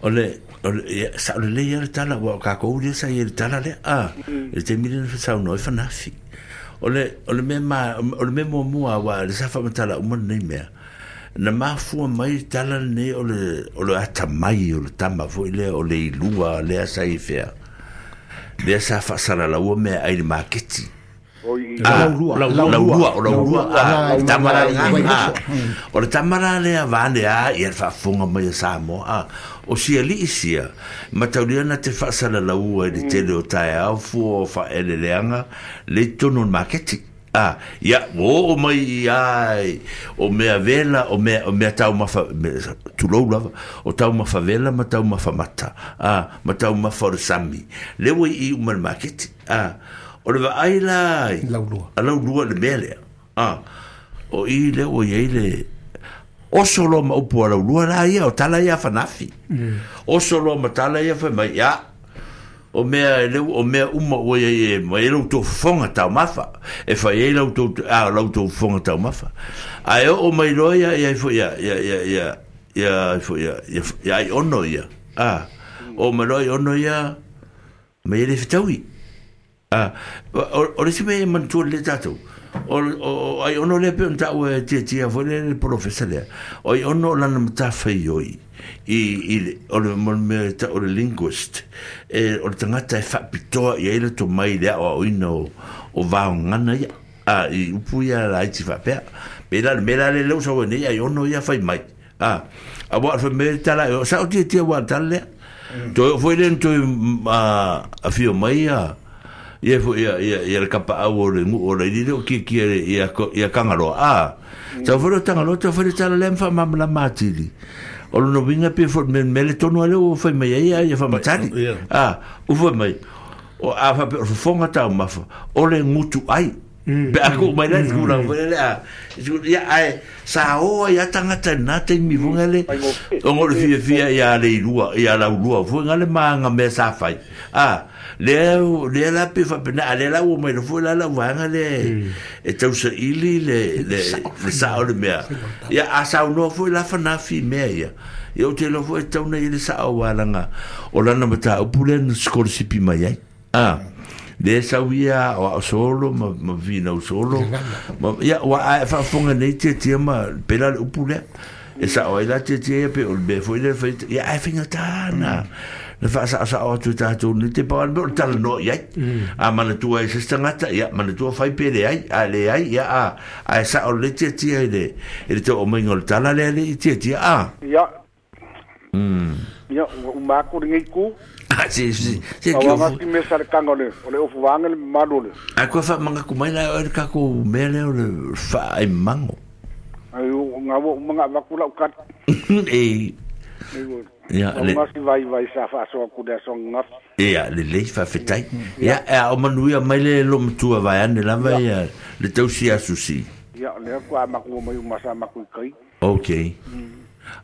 o le o le sa le le ia tala wa ka ko le sa ia tala le a le te mile sa no fa na fi o le o le me ma o le me mo mo wa le sa fa tala o mo nei mea na mafua mai tala nei o le o le atamai o le tama foi le o le ilua le sa i fea le sa fasala la ua mea ai le maketi laulua laulua o laulua a tamara o le tamara lea vane a ia le faafofoga mai a Samoa a o siali'i sia mataulia na te faasalalaua i le tele o taeao fua o faaeleleaga le i totonu o le maketi a ia ua oo mai ia o mea vela o mea o mea taumafa tulou lava o taumafa vela ma taumafa mata a ma taumafa o le sami le ua i uma le maketi a o le vaai la laulua a laulua le mea lea a o i le ua iai le oso loa ma upu a laulua la ia o tala ia fanafi oso loa ma tala ia fai mai ia o mea le o mea uma ua ia e mai lau tou fofoga taumafa e fai ai lau tou a lau tou fofoga taumafa ae oo mai loa ia ia foi ia ia ia ia ia foi ia ia ai ono ia a o mai loa ai ono ia mai le fetaui a o le si mea e manatua le tatou o o ai ono le pe ona taua e tiatia foi le le polofesa lea o ai ono o lana matafaioi i i o le mo le mea o le linguist e o le tagata e faapitoa i ai le tomai le aoaoina o o vaogana ia a i upu ia laiti faapea pe la le mea la le leu sau nei ai ono ia fai mai a a wa fa me tala o sa o tiatia wa tala lea toe foi le toe a afio mai ia ia foi ia ia ia le kapaau o le ngu'u o le lile o kiekie ia ia Kangaloa a tau foi le Tangaloa tau foi le tala lea ma faamalamalama atili o lona uiga pe foi me le tonu a lea ua fai mai ai ia ia faamatali a ua fai mai o a faapea o le fofoga taumafa o le gutu ai pe a ku'u mai la le tulaga foi lele a ia ae sa oa ia tagata i lena taimi foga le ona o le fiafia ia leilua ia laulua foi ga le maga mea sa fai a lea lea la pe faapena a lea la ua mai foi la lau vaega le e tausaili le le le sao le mea ia a saunoa foi la fanafi mea ia ia ou te iloa foi e tauna i le sao alaga o lana mataupu lea na sikolasipi mai ai a le sau ia o ao solo ma ma vinau solo ma ia ua ae faafofoga nei tiatia ma pela le upu lea e sao ai la tiatia ia pe o le mea foi lea fai ia ae faigata na na faasaosao atu i tatou nei te pau le mea o le talanoa i ai a manatua e se tagata ia manatua fai pe leai a leai ia a ae sao le tiatia i le i le tauomaiga o le tala lea le i tiatia a ia mm ia ua uma aku lenei ku a se se se ki o me sa le kanga le o le ofu vanga le malu le a koe faamagaku mai la o le kakou mea lea o le faaaimago ai o nga ua uma avaku lau kati e ia le ma si vai vai sa faasoa ku le aso gafi ia lelei faafetai ia a o manuia mai le lomatua vaeane lava ia le tausi asusi ia lea kua maku mai uma sa maku i kai okay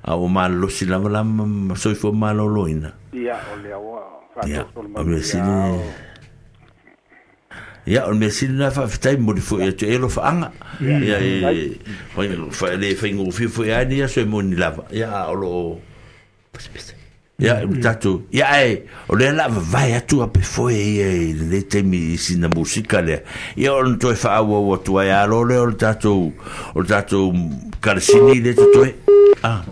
a o malolosi lava la ma soifua malōlōina ia o lea ua ia faatosolo o mea sili Ia o le mea sili lena faafetai momoli fo'i atu e alofaʻaga ia e le faigofie fo'i a nei aso e moni lava ia a o loo ia tatou ia ae o lea la vavae atu a pe foe ia i lenei taimi i sina musika lea ia ona toe faaauau atu ai alo lea o le tatou o le tatou kalasini le totoe ah.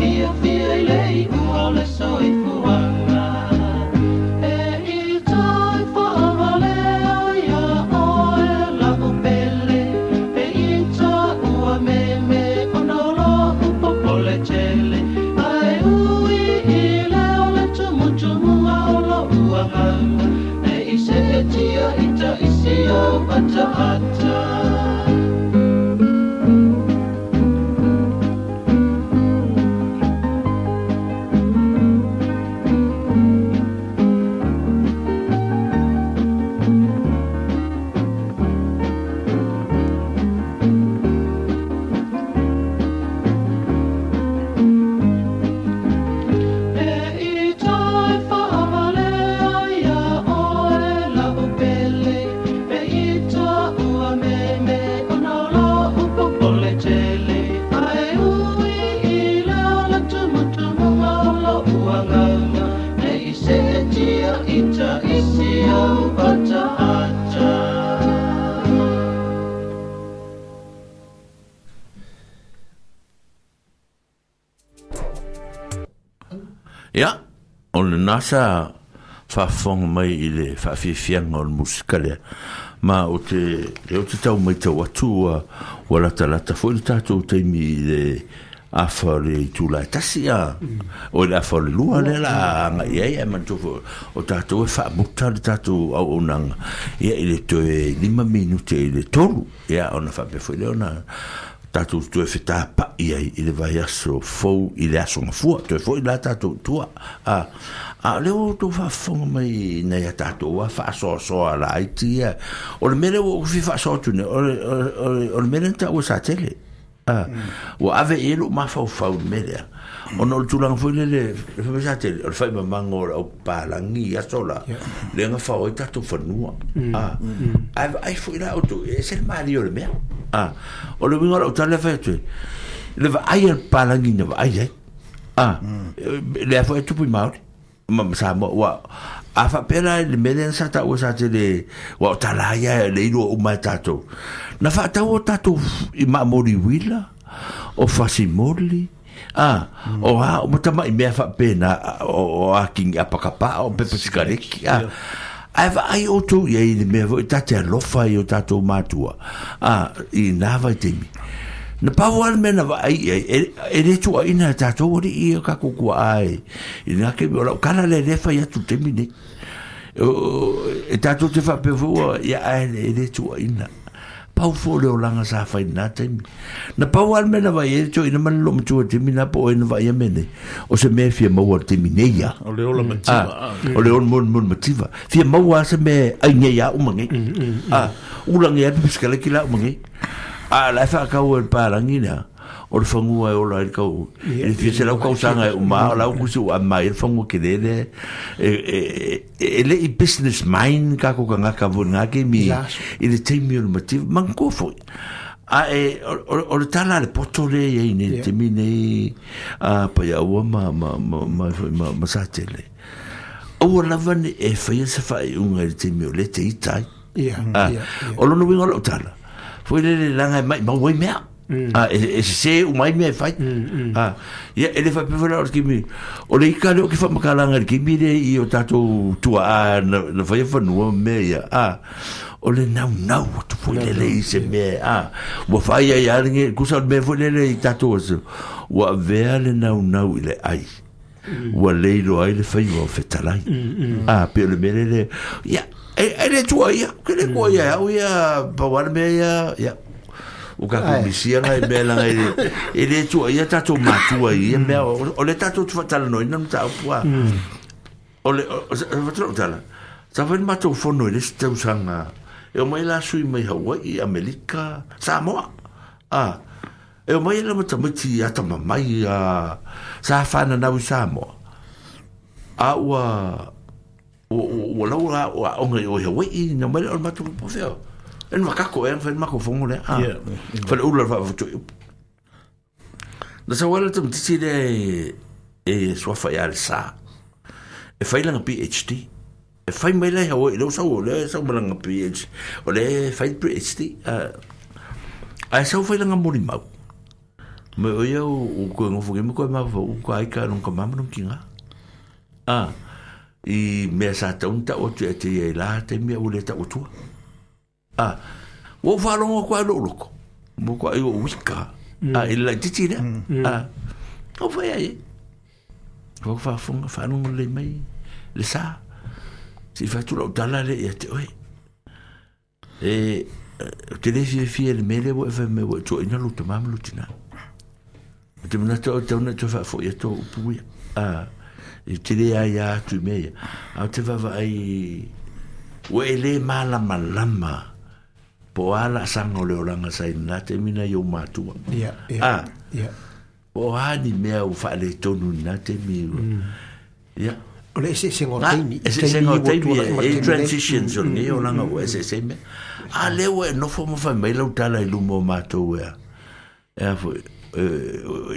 Fia fia i le i ua o le soifuaga. E i Ia, o le nasa faafofoga mai i le faafiafiaga o le musika lea. Ma o te, e o te tau mai tau atu ua, ua latalata foi le tatou taimi i le afa o le itula e tasi a. O le afa o le lua lea la agai ai, ae manatua foi o tatou e faamuta le tatou auaunaga ia i le toe lima minute i le tolu. Ia ona faapea foi lea ona tatou toe fetapa'i ai i le vaiaso fou i le aso gafua toe foi la tatou i tua. A, a o lea ua outou faafofoga mai nai a tatou a faasoasoa laiti ia. O le mea lea ua ou fia faasoa atu nei, o le, o le, o le, o le mea lea na taua sa tele. A, ua ave i ai lou mafaufau i le mea lea. Ona o le tulaga foi lele, le fai mai sa tele, o le faimamaga o le aupalagi i aso la, lea na fao ai tatou fanua. A, ae vaai foi la outou, e ese le malie o le mea. A, o le uiga o lau tala lea fai atu ai, le vaai a le palagi na vaai ai. A, lea foi e tupu i Māori ma ma Samoa, ua a faapea la i le mea lea sa taua sa tele, ua o tala ia le iloa uma e tatou. Na faatau o tatou i maamoli uila, o fasimoli, a, o a, o matamai mea faapena, o, o a kingi apakapa, o pepa sikareki, a. Ae vaai outou i ai i le mea foi ta te alofa i o tatou matua, a, i nā vaitaimi. Na pau lava le mea na vaai i ai, e, e le tuuaina e tatou alii ia kakou kua'a e, i lena taimi, o lau tala lea lea e fai atu i le taimi nei. O, e tatou te faapea foi ua, ia ae e le tuuaina. Pau foi o le olaga sa fai i lena taimi. Na pau lava le mea na vaai ai le toeaina ma le loomatua i le taimi lena po o ai na vaai a mea nei, o se mea e fia maua i le taimi nei ia. O le ola mativa. A, o le ola molimoli mativa. Fia maua lava se mea ai nei a uma nei. A, ulagi ai le pisikaleki la uma nei. A la e faatau e le palagi lea, o le fanua e ola ai le kau, i le fia selau kausaga e uma, o la ua kusi ua mai le fanua kele lea, e, e, e, e le i business mind kakou tagata foi i lena taimi, i le taimi o le mativa, manatua foi. A e, o, o, o le tala a le poto lea i ai nei i le taimi nei, a Paiaua ma, ma, ma, ma, ma, ma, ma Satele. Aua lava ne e faia se faaiuga i le taimi o lea te ita ai. Ia, A, ia, ia. o lona uiga o lau tala, foi lele laga e maimau ai mea. A, e, e sesē uma ai mea e fai. A, ia, e le faapea foi la o le taimi, o le ika lea o ke faamakalaga i le taimi lea i o tatou tuaa na, na faia fanua ma mea ia. A, o le naunau atu foi lele i se mea, a, ua fai ai a le nge, kusa o le mea foi lele i tatou aso, ua avea le naunau i le ai. Ua leiloa ai le faiva o fetalai. A, pe o le mea lele, ia, e, e le tua ia, ke le tua ia, au ia, pau lava le mea ia, ia, o kakou Ai. misia ngai mea laga e le, e le tua ia tatou matua i ia mea, o, o le tatou te faatalanoaina le mataupu a. O le, o, o, o, o tala, sa fai le matou fono i le isi tausaga, e omai la sui mai Hawaii, Amerika, Samoa. A, e omai la matamaiti atamamai a, sa whananau i Samoa. A ua, ua, ua, ua lau la, ua aoga i o i Hawaii, na mai le o le matou po fea. E le makako e, whai mako fongo lea. A, Yeah. whai ula wha wha Na sa wala tamatiti lea e, e suafa ia le sa. E whai langa P H D. E whai mai lea Hawaii, leo sau o lea sau malanga P H D. O lea whai P H D. A, a e sau whai langa molimau. Me o ia o, o koe ngofo ke me koe mafa u ka aika nong ka mama nong ki ngā. A, i mea sa taun ta o tu e te ia i la te mea ule ta o tua. A, ua whalongo koe lo loko. Mo koe ai o wika. A, i le laititi lea. A, o whai ai e. Wau whaafonga, whanongo le mai, le sa. Si whatu lau tala le ia te oe. E, te le fia fia le mele wa e whai me wa tua ina lo te mama lo tina. O te manata o tauna te whaafo ia tō upu ia. A, e te le ai a atu i mea ia. A o te wawa ai, ua e le malama lama, po a la sanga o le oranga sa ina te mina i o mātua. Ia, ia, A, ia. po a ni mea o whaale tonu ina te mi. Ia. O le eseesega o Ah, taimi. eseesega o Taimi taimi, ua tuanai ma e, e taimi nei. transitions o lenei olaga ua eseese mea. A lea ua e nofo ma fai mai lau tala i luma o matou ea. Ea foi, e,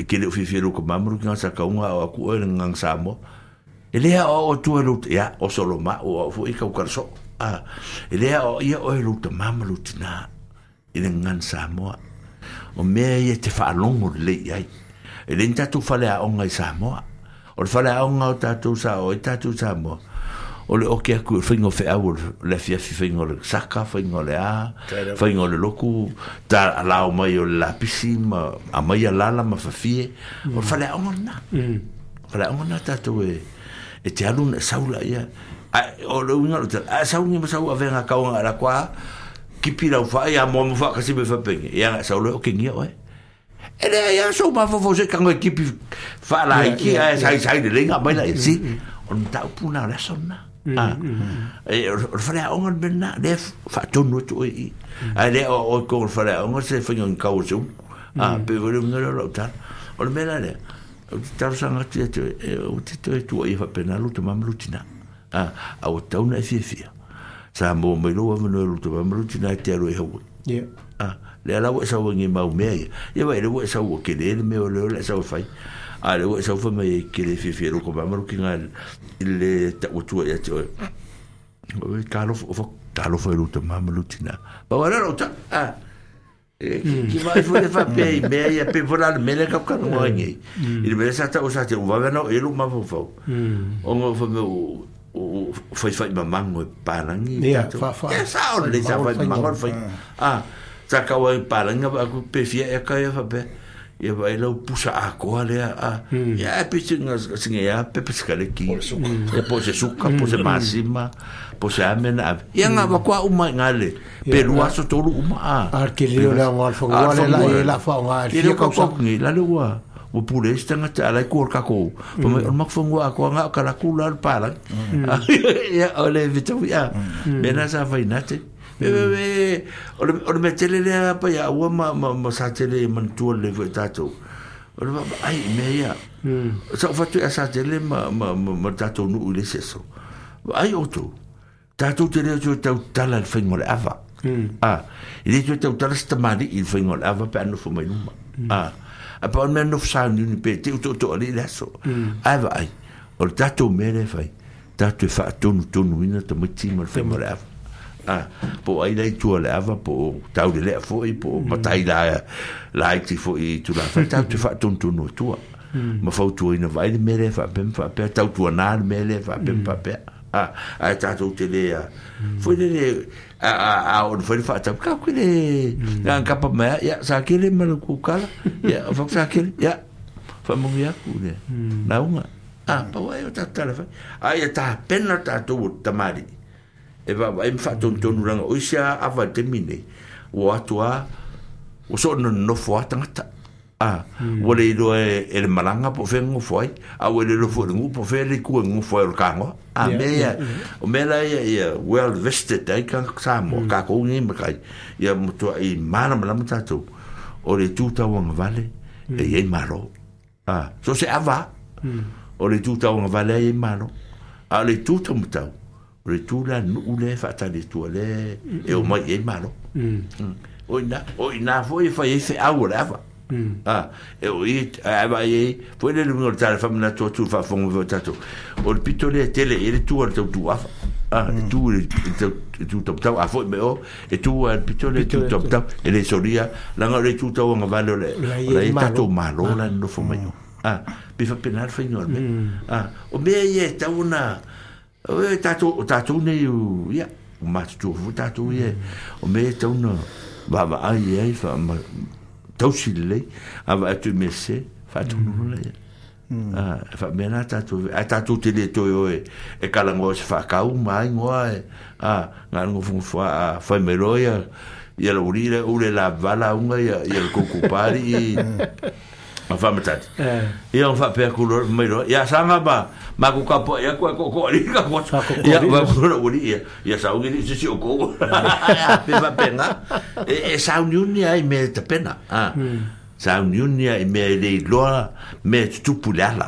e ke le o fiafia lou kamama lo ki ngā sakaunga o aku oe le nganga Samoa. E lea o o tua lou, ia, o solo ma, o au foi i kaukara soo. A, e lea o ia oe lou tamama lou tinā i le nganga Samoa. O mea ia te whaalongo lelei ai. E le ni tatou fale aoga i Samoa. O le faleaoga o tatou sa o ai tatou Samoa o le oke aku o le faiga o feau o le afiafi faiga o le saka faiga o le a faiga o le loku ta alao mai o le lapisi ma amai alala ma fafie o le faleaoga lena faleaoga lena tatou e e te alu na saula ia o le uiga o le tala a sauni ma sau avega kauga ala kwa kipi lau faa ia moa mo faa kasi me fapenge ia nga saula o kengia oe e le ia so ma fofo se kango kipi faa la iki ai sai sai le lenga mai la si o le mataupu na o le aso lena ah e o le faleaoga le mea lena lea faatonu atu oe i ae lea o oe kogo le faleaoga se faiga i kau o se umu ah pe foi le uiga lea o lau tala o le mea la lea ou te talosaga atu ia te oe ou te toe tuuaia faapena lou tamā ma lou tinā ah a ua tatau ona e fiafia sa mo mai lou avanoa lou tamā ma lou tinā e te alu ai Hawaii ah lea la ua e sau ai mau mea ia ia vaai lea ua e sau ua kele le mea o lea o le e sau e fai a le ua e sau fai mai e kele fiafia lou tamā ma lou tinā i le tauatua ia te oe o e talofa o talofa i lou tamā ma lou tinā pau lea lou ta ah ki vai foi le faapea i mea ia pe foi la le mea lea kaukanoa ai nei i le mea sa tau sa te uvawe na o e lou mafaufau ona o fai o faifai mamango e palangi ia ia sa o le sa fai mamango le fai ah sa kau ai palangi aku pe fia e ka ia faapea ia vai lau pusa akoa lea a ia e pe singa singa ia pe pe ki ia po se suka po se masima po se amena ave ia nga wakua uma i ngale pe lua aso tolu uma a a ke leo le ngo alfa ngo le la e la fa nga fia kau sa ngi la le ua ua pule isi tagata alai ku o le kakou famai o le makafagua akoa ga o kalaku la o le palangi ia o le fetaui a mea na sa fainate me me o le o le mea tele lea paia aua ma ma ma sa tele e manatua lelei foi tatou o le ai mea ia sa ou fatu e sa tele ma ma ma tatou nuu i le isi aso ai outou tatou te leo toe tautala i le faiga o le ava a e le toe tautala se tamalii i le faiga o le ava pe a nofo mai luma a a pa o le mea nofo sauniuni pe te uto'oto'o alii le aso ae vaai o le tatou mea lea e fai tatou e faatonutonuina tamaiti ma le faiga o le ava a po o ai la i tua o le ava po o taulelea foi po o matai la laiti foi i tulafa tatou te faatonutonu atua ma fautuaina vaai le mea lea faapea ma faapea tautuanā le mea lea faapea ma faapea a ae tatou te le a foi lele a a a o le foi le faatau kau ke le nga kapa mai ia sa kele ma le kukala ia o sa kele ia faamanuia aku le lauga a pau ai o tatou tala fai a ia tapena tatou o tamalii e vaavaai ma faatonutonu laga o isi a ava i le taimi nei ua atu a ua soo nonofo a tagata a ua le iloa e le malaga po o fea gagofo ai a ua le iloa foi le gu'u po o fea le itu e gagofo ai o le kagoa a mea ia o mea la ia ia well vested ai tagata Samoa kakou nei makai ia matua'i malamalama tatou o le itu tauagavale e iai malo a so se ava o le itu tauagavale ai iai malo a o le itu taumatau o le itu la nuu lea e faatali atua lea e omai i ai malo o ina o ina foi e fai ai feau o le ava a e o i a vai ai foi le luga o le tala faamanatu atu faafofoga foi tatou o le pito lea tele i le tu o le tautu afa a e tu i le tu taumatau a foi me o e tu a le pito le tu taumatau e le solia laga o le tu tauagavale o le o la ia tatou malo la nonofo mai o a pe faapena le faiga o le mea a o mea ia e tau ona o e tatou o tatou nei ia o matutua foi tatou ia o mea e tau ona vaavaai ai fa tausi lelei a vaai atu i mea sese faatonu la ia a faapea na tatou ae tatou te le toe o e e kalagoa se faakau ma aigoa e a na le gofogofo a fai mai loa ia ia le uli le ule la vala unga ia ia le koukou pāli'i ma faamatali ia ona faapea aku loa mai loa ia saga ma ma ku kapoa'i aku ae ko'oko'o alii ka ia ma uli ia ia sauni li'i se isi o kou pe faapena e e sauniuni ai mea e tapena a sauniuni ai mea e le iloa mea e tutupu le ala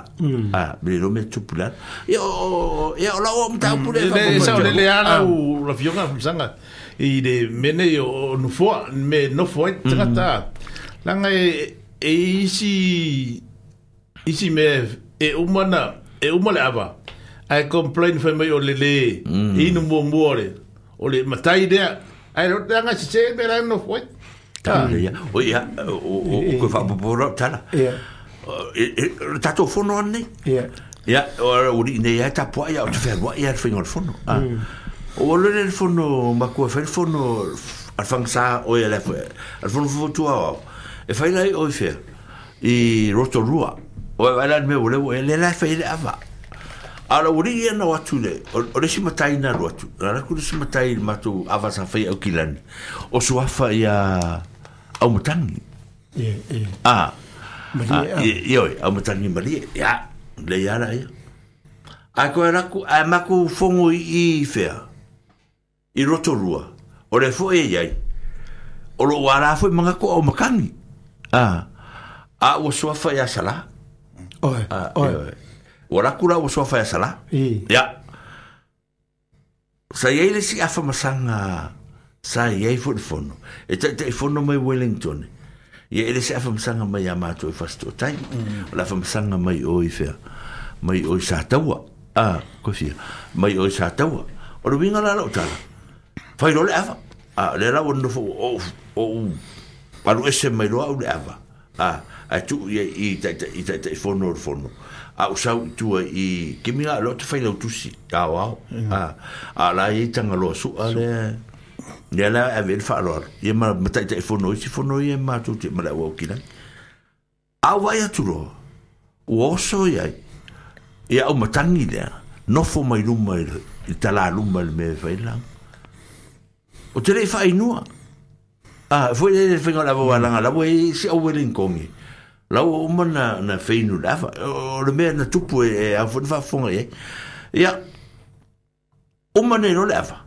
a le iloa mea e tutupu le ala ia o ia o lau o mataupu lea e sao lele ala u la fioga famasaga i le mea nei o nofoa me nofo ai tagata laga e e isi isi mea e uma na e uma le ava ae complain fai mai o le lē inu muamua o le o le matai lea ae laga sesē mea la e nofo ai ia o ia o o koe faapopo lau tala le tatou fono anei Ia, o uli nei ai tapua ia o te whenua ia le whainga o le fono. O le le fono makua whai le fono alwhangsa o ia le al fono fufutua au. E whai lai o i whea i Rotorua. O e whai lai mea o le e le lai whai le awa. A la uri ia na watu le, o le si matai na ruatu. Na raku le si matai matu awa sa whai au kilani. O suafa ia au matangi. Ie, ie. Ah. Malie. Ie, oi, au matangi malie. Ia, le ia la ia. A koe raku, a maku fongo i i whea. I Rotorua. O le fo e iai. O lo wara fo i mangako au makangi. Ah. A ua suafa ia sala. Oi, oi. O raku la ua suafa ia sala. Ia. Sa iai le si afa masanga sa iai fo le fono. E tai tai fono mai Wellington. Ia ele se afa masanga mai a mātou i whasto tai. O la afa masanga mai o i whea. Mai o i sa taua. Ah, koe fia. Mai o i sa taua. O le winga la lau tala. Whai lo le afa. Ah, le lau nofo o o palu ese mai loa au le afa. Ah, a tu ia i tai tai tai tai fono le fono. A usau i tua i kiminga lo te whai lau tusi. Ao ao. Ah, a la i tanga loa sua le. Ia la ave le whaaloalo. Ia ma tai tai fono isi fono ia mātou te mala ua ukilangi. A wai atu loa. Ua oso iai. Ia au matangi lea. Nofo mai luma i le tala luma le mea whai lang. O te lei whainua. Ah, foi le whainga lava walanga. Lawa e si au Wellington. Lawa uma na, na whainu lava. O le mea na tupu e au whana whaafonga e. Ia, uma nei lo le awa.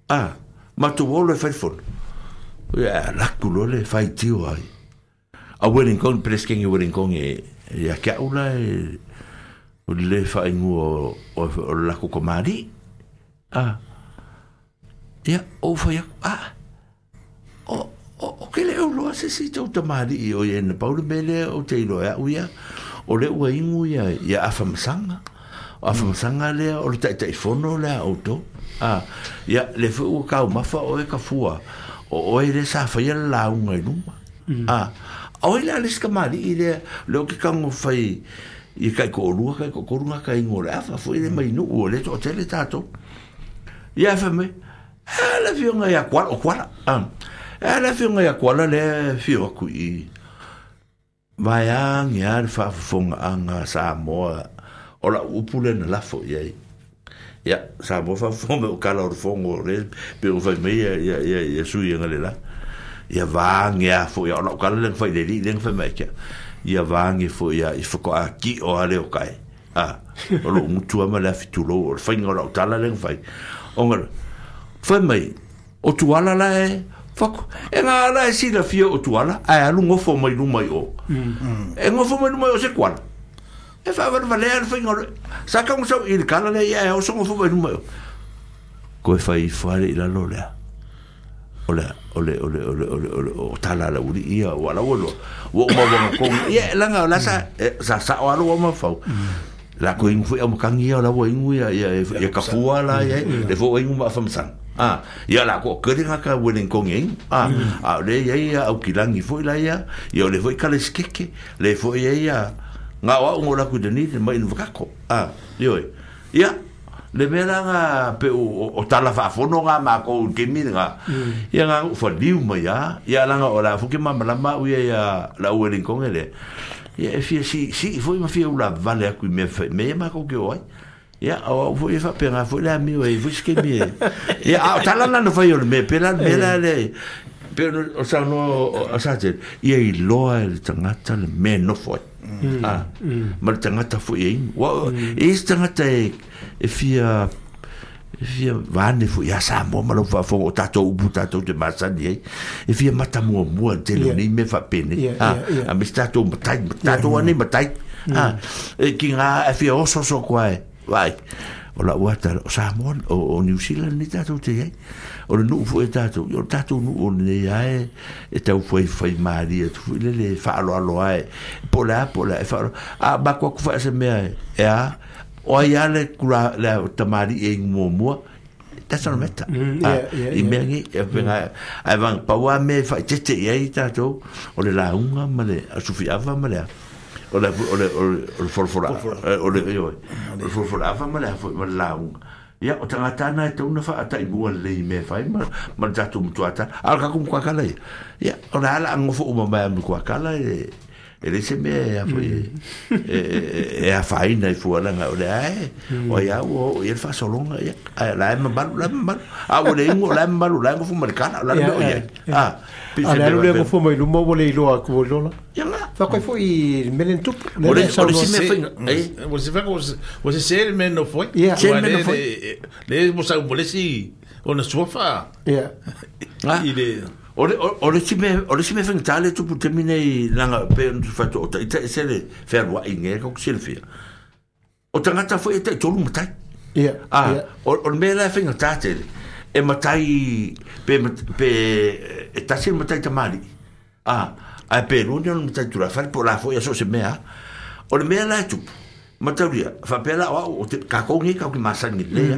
Ah, matu wolo e whai fono. Ia, laku lo le whai tio ai. A Wellington, preskengi Wellington e ia kia ula e o le whaingu o, o, o lako komari. Ah, ia, o whai aku, ah, o, o, o ke le uloa se si tau tamari i o ia na paule mele o te iloa au ia, o le ua ingu ia, ia awhamasanga, o awhamasanga lea, o le taitai fono lea o tō. Ah, ia, le fwe ua kau mafa o e ka fua, o oe le sa whaia le launga i luma. Ah, o le ale sika mari i lea, le o ke kango whai, i kai ko orua, kai ko korunga, kai ingo le awha, fwe le mai nuu, o le to tele tātou. Ia wha mai, e le whionga ia kuala, o kuala, ah, e le whionga ia kuala le whio aku i vaiang ia le whaafafonga anga Samoa, o la upu le na lafo iai. Ia, Samoa whaafafonga o kala o le fongo le, pe o whai mai ia, ia, ia, ia sui anga le la. Ia vaange a fo ia, o la o kala lenga whai le li, lenga whai mai kia. Ia vaange fo ia, i whako a ki o ale o kai. Ah, o lo mutua ma le awhitulo, o le whainga o la o tala lenga whai. O ngara, whai mai, o tuala la e, whako, e ngā ala e sila fia o tuala, ai alu ngofo mai lumai o. E ngofo mai lumai o se kuala. E whaawara walea le whainga o le, sa kaunga sau i le kala le ia e oso ngofo mai lumai o. Koe whai whare i lalo lea. O le, o le, o le, o le, o le, o le, o tala la uri ia, o ala ua loa. Ua uma wanga konga, ia, langa, la sa, sa sa o alo wa mawhau. La ko ingu fui au makangi ia, la ua ingu ia, ia, ia kafua la, ia, le fo ingu ma awhamasanga. Ah, ia la ko kerenga ka Wellington e ingu. Ah, a le ia ia au kilangi foi la ia, ia o le foi kale skeke, le foi ia ia, ngā o au ngō laku dani, te mai wakako. Ah, ioi. Ia, le mea la ngā pe o, o tala whaafono ngā mākou kemi ngā. Ia ngā whaliu mai a, ia langa o la fuke mamalama u ia ia la Wellington e le. Ia e fia si, si foi ma fia ula vale aku i mea whai, mea mākou ke o ai. Ia, o foi e whapenga, foi le amio e, foi ske mi e. Ia, a o tala lana whai o le mea, pela mea la le, pe o sa no o sa te, ia i loa e le tangata le mea nofo ai. Ah, ma le tangata foi e ingu. E isi tangata e, e fia, e fia vane foi, ia Samoa ma lau whaafonga o tātou upu tātou te masani ai. E fia mata mua mua te leo nei mea whapene. Ah, a me si tātou matai, tātou anei matai. Ah, e ki ngā e fia ososo koa e. Vai, o la uata, o Samoa, o, o New Zealand ni tātou te ai. O le nuu fo e tātou, o le tātou nuu o nei ae, e tau fwai fwai maari, e tu le le whaaloalo ae, po le a, po le a, e whaalo. A, mako aku wha ese mea e, e a, o ai a le kura, le tamari e ingu mua mua, that's not a matter. I mea ngi, e whenga, ai wang, paua me whai tete i ai tātou, o le launga ma le, a sufi awa ma le a. O le o le o le folafola o le o le folafola afa ma le afo ma le lauga. Ia o tagata na e tauna faatai mua lelei mea fai ma ma le tatou matuata a o le kaku mukuakala ia. Ia o le ala agofo uma mai a mukuakala e e le se mea e e afaina i fualaga o le ae o ia ua oo i ai le faasologa ia ae o la e mamalu la e mamalu a ua le igu o la e mamalu la e gofo ma le kala o la le mea o i ai a a le alu lea gofo mai luma ua le iloa atu o lola fakoe foi i mele na tupu o le o le si mea faiga o se faiga o se se le mea no foi se le mea no foi le mo sa mo le si o na suafa ia i le O le o le si mea o le si mea faigata le tupu taimi nei laga pe ona faatoa o taʻitaʻi se le fealuaʻi ge ka silafia o tagata foi e taʻitolu matai ia a o o le mea la e faigata tele e matai pe pe e tasi le matai tamalii a ae pe lua ni ona matai tulafale po o la foi aso o se mea o le mea la e tupu mataulia faapea la o au o te kakou nei kau ki masani lelei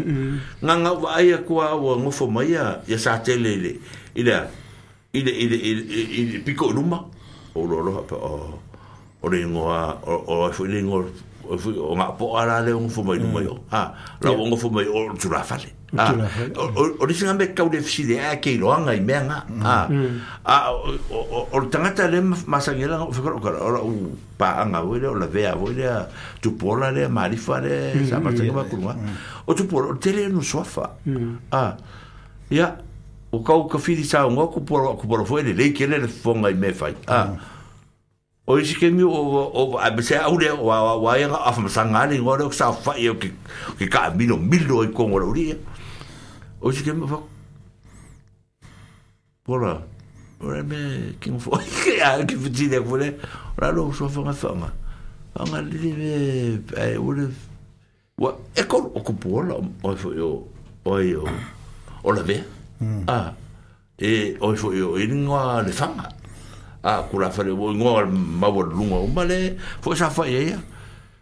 a gagau vaai aku a ua gofo mai ia ia sa tele i le i le i le i le i le piko i luma o lo aloha pa o o le ingoa o o foi le ingoa o foi o ngā po'a la le ngofo mai luma i o ha la o ngofo mai o tulafale a o o le singa me kau le fisile a ke iloanga i mea ngā a a o o le tangata le masangela o whakaro kara o la u paanga voi le o la vea voi le tupola le marifa le sa masanga makulunga o tupola o tele no soafa a ia o kau ka whiri sa o ku poro ku poro foi le lei kele le fonga i me fai a o isi ke mi o o a se au le o wa wa ia a fa masanga le ngore o sa fa i o ke ke ka milo milo i kongo le uri o isi ke mi fa pora ora me ki mo a ki futi le fole ora lo so fa fa nga nga le me e o le wa e ko o ku pora o fo o o o la ve a e o fo o ingoa le fanga a kula fale o ingoa maua lunga o male fo sa fa ia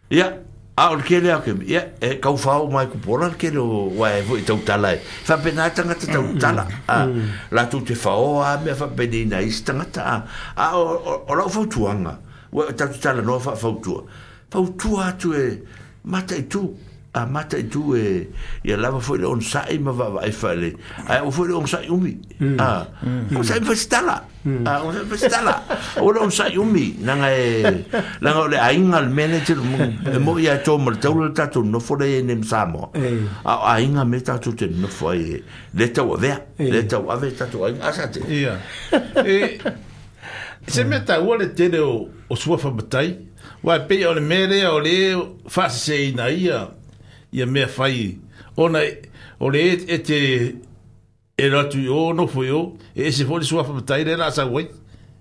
ia a o ke le ke ia e kau fao mai ku pora ke lo wa e fo i tau tala e fa pena tangata tau tala a la tu te fao a me fa peni na is tangata a a o o la fautuanga wa tau tala no fa fautua fautua atu e mata i tu a mata i tu e ia lava foi le onsa'i ma vaavaai fale ae o foi le onsa'i umi a onsa'i fasitala a onsa'i fasitala o le onsa'i umi laga e laga o le aiga le manager e mo'i ia tō ma le taula le tatou nofo le nei ma Samoa a o aiga me tatou te nofo ai le tau avea le tau ave tatou aiga asa te ia e se mea taua le tele o o suafa matai uae pei o le mea lea o le faaseseina ia ia mea fai ona o le e te e ratu i o nofo i o e ese foi le suafa matai le la sau ai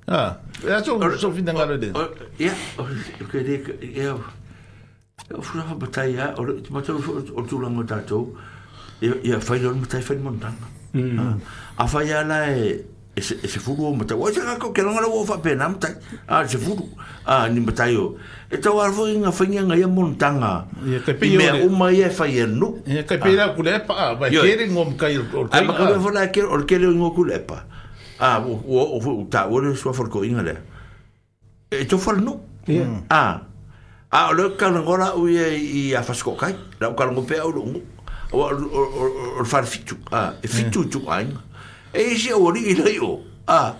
a e aso so finangalo le ia o ke le ia o suafa matai a o le matau o tulaga o tatou ia ia fai le matai fai montanga a fai ala e e se fulu o matai o se ka ke longa o fa pena matai a se fulu a ni matai o e tau ala foi nga fainga nga ia montanga i mea uma ia e fai e nu ia kai pei la kulepa a vai kere ngom kai o kai a maka foi la kere o kere ngo kulepa a o o o ta o le sua for ko inga le e to for nu a a o le ka ngola u ia i a fasko kai la o ka ngo pe au lo o o o far fitu a e fitu tu ai e isi o ri i o a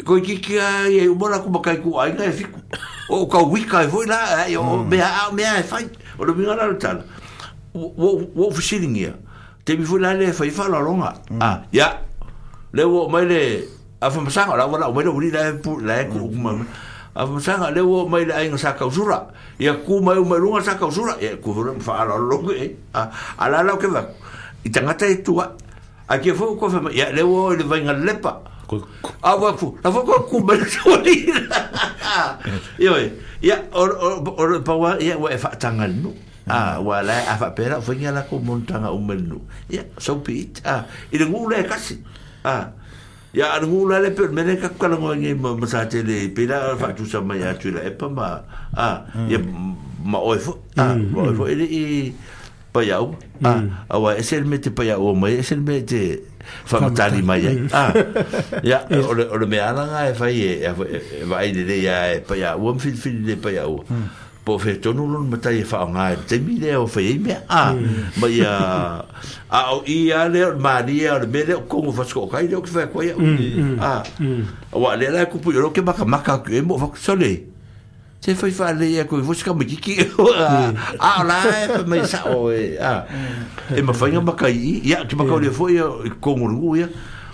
ko ki ki ai o mola ku makai ku ai e fiku o ka wika e foi la e o mea a mea e fai o le minga la tala o o fisilingia te mi foi la le fai fa la longa a ya le o mai le a fa masanga la wala o mai le uri la pu la ku ma a fa masanga le o mai le ai nga sa kausura ia ku mai o mai lunga sa kausura ia ku ro fa la longa e a ala la ke va i tangata e tua a ke fo ko fa ia le o le vai nga lepa a wa fu la fo ko ku mai soli ia ia o o pa wa ia wa e fa tanga nu a wa la a fa pera fo nya la ko montanga o menu ia so be it a i le ngule kasi a ia a ngule le pe mele ka kala ngi ma sa tele pe la fa tu sa mai atu la e pa ma a ia ma oi fo a ma oi fo i pa iau a a wa e se me te pa iau mai e se me te Whamatari mai ai. Ah, ia, o le, o le mea alanga e whai e, e, e vai le lea e pai a ua, mwhili le pai a ua. Po fe tonu lon matai e whaonga e te mi lea o whai e mea. Ah, ma ia, a o i a lea, o maria, o le mea lea, o kongo whasko o kai lea o ki whai koe au. Ah, wa lea la kupu i roke maka maka ku e mo whaku sole. Te whai wha lea koe fo sika makiki. A o la e mai sa o e. E mawhainga makai i. Ia, ki makau lea fo ia kongo rungu ia.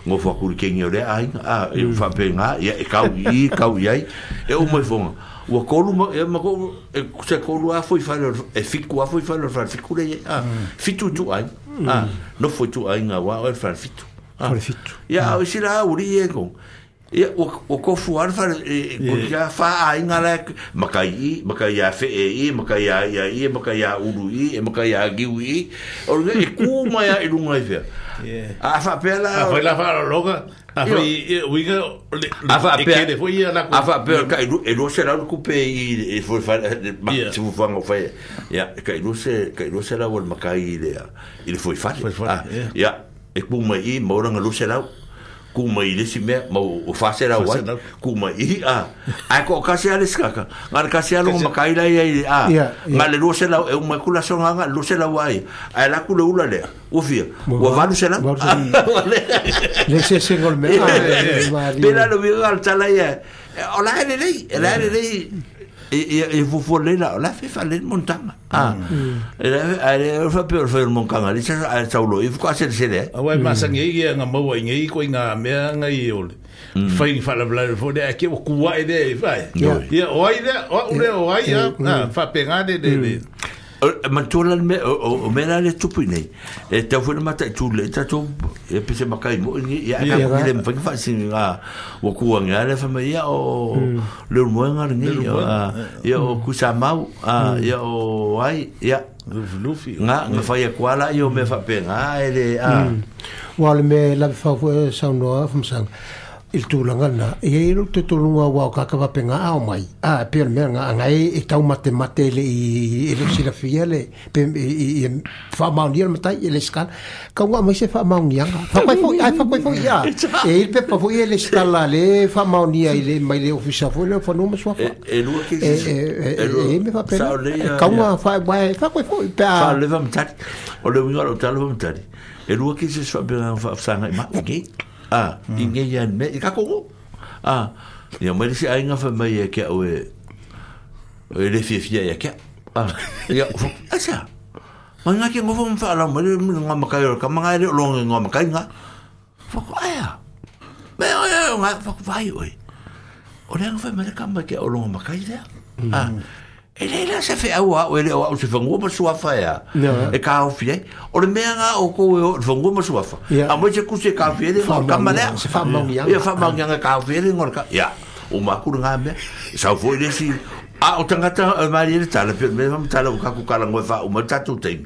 Ngō whakuri kengi o lea ainga. A, e whapengā, ia, e kau i, kau i ai. E o mai whonga. Ua kolu ma, e mako, e se kolu a fo i whare, e fiku a fo i whare, whare fiku le, a, fitu tu ai. A, no fo tu ai ngā wā o e whare fitu. Whare fitu. Ia, o sila a uri e kong. Ia, o kofu ara whare, ko kia wha a inga la, makai i, makai a whee i, makai a ia i, makai a uru i, makai a giu i, o runga, e kū mai a i runga i whia. A whapea la... A whai la whaaraloga, a whai uiga, e kere fo ia la... A whapea, ka e rua se lau kupe i, e fo whare, se fufuanga o whai, ia, ka i rua se, ka i rua se lau o le makai i le, i le fo i whare. Ia, e kū mai i, mauranga rua se lau. Ku mai le si mea mau o fase la wai ku mai i a ai ko kasi ale skaka ngar kasi alo makai la ia a ma le rose la e uma kula songa nga rose la wai ai la ku le ula le o fia o valu se la le se se gol me pela lo vi al tala ia o la le le la le le e e fu le la la fe fa le montanga ah e le fa pe fa montanga le sa a saulo e fu a se se le a wai ma sangi ia nga maua ngi ko nga mea nga i ole fai fa la la fo de ke o kuai de fai ia o ai de o le o ai a fa penga de de mantola me o me la le tupu nei e te fu mata tu le ta tu e pese makai mo ni ia ka le mfa fa singa o ku nga le fa ia o le mo nga ni ia o ku sa mau ia o ai ia lufi nga nga fa ia kwala ia me fa penga ele a wa le me la fa sa no fa sang il tūlanga na, e e te tolunga wao kakawa penga ao mai. A, pia mea ngā ngai e tau mate mate le i e le silafia le, pe i e whaamaonia le matai e le skala. Ka ngā mai se whaamaonia ngā. Whakwai fo, ai whakwai fo ia. E il pepa fo ia le skala le whaamaonia i le mai le ofisa fo le whanua masuafa. E lua ki E e e me whapena. Ka ngā whakwai fo i pea. Wha lewa matari. O le winga o talo matari. E lua ki se whapenga whaafsanga i maa. Ah, i ngai an me i ka kongo. Ah, ia mai se ainga fa mai e ke o e le fia fia ia ke. Ah, ia asa. Mai nga ke ngofo mfa la mai nga makai o ka manga le longa nga makai nga. Fa ko aya. Me o e nga fa ko vai oi. O le fa mai ka mai ke o longa makai le. Ah. E le la se fe au o le o se fangu ma suafa ya. E ka o fie. O le mea nga o ko o fangu ma suafa. A mo se ku se ka fie le ka ma le. Se fa maungia. Ia fa maungia ka fie le ngor ka. Ya. O ma ku nga me. Sa fo le si a o tangata o mari le tala pe me ma tala o ka ku kala ngo fa o ma tatu te.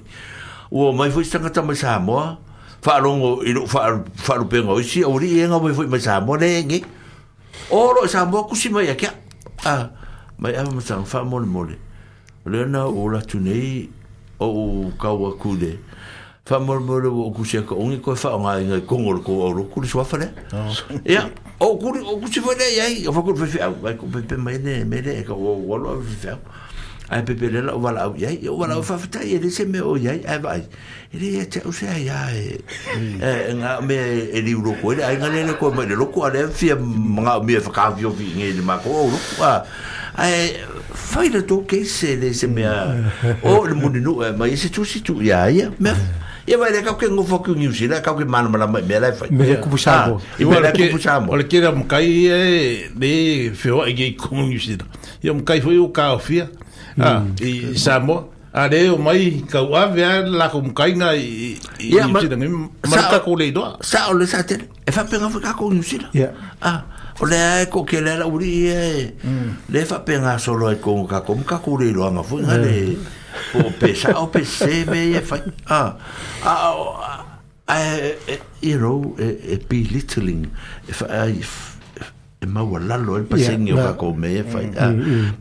O mai fo tangata mai Samoa. Fa longo i fa fa lu pengo si o ri nga mai fo mai Samoa le ngi. O lo Samoa ku si mai ya. Ah mai ava masang fa mole mole le na o la tunei o kaua kule fa mole mole o kusia ko ongi ko fa nga ngai kongo ko o ku so fa le ia o ku o ku si fa le ia o fa ku fa ai ku pe mai ne me le ko o lo fa ai pe pe le la o la ia o la fa fa ia le se me o ia ai vai ele ia te o se ia e nga me e li ro ko ai nga le ko me le ko ale fia nga me fa ka vi vi ngi ma ko o a ai fai le to ke se le se me o le muninu mai se tu si tu ia ia me ia vai le ka ke ngofo ku New Zealand ka ke mana mana me la fai me ku pusa i me la ku pusa mo le kera mkai e le feo e ku New Zealand ia mkai foi o ka fia ah i Samoa a le o mai ka u ave la ko mkai nga i i New Zealand ma ka ko le doa sa o le sa te e fa penga fa ka ko New Zealand ah o le ko ke le la uri e le fa penga solo e ko ka ko ka ko le loanga fo nga le o pe sa o pe se me e fa ah ah you know e belittling if I e maua lalo e pasengi o kako me e fai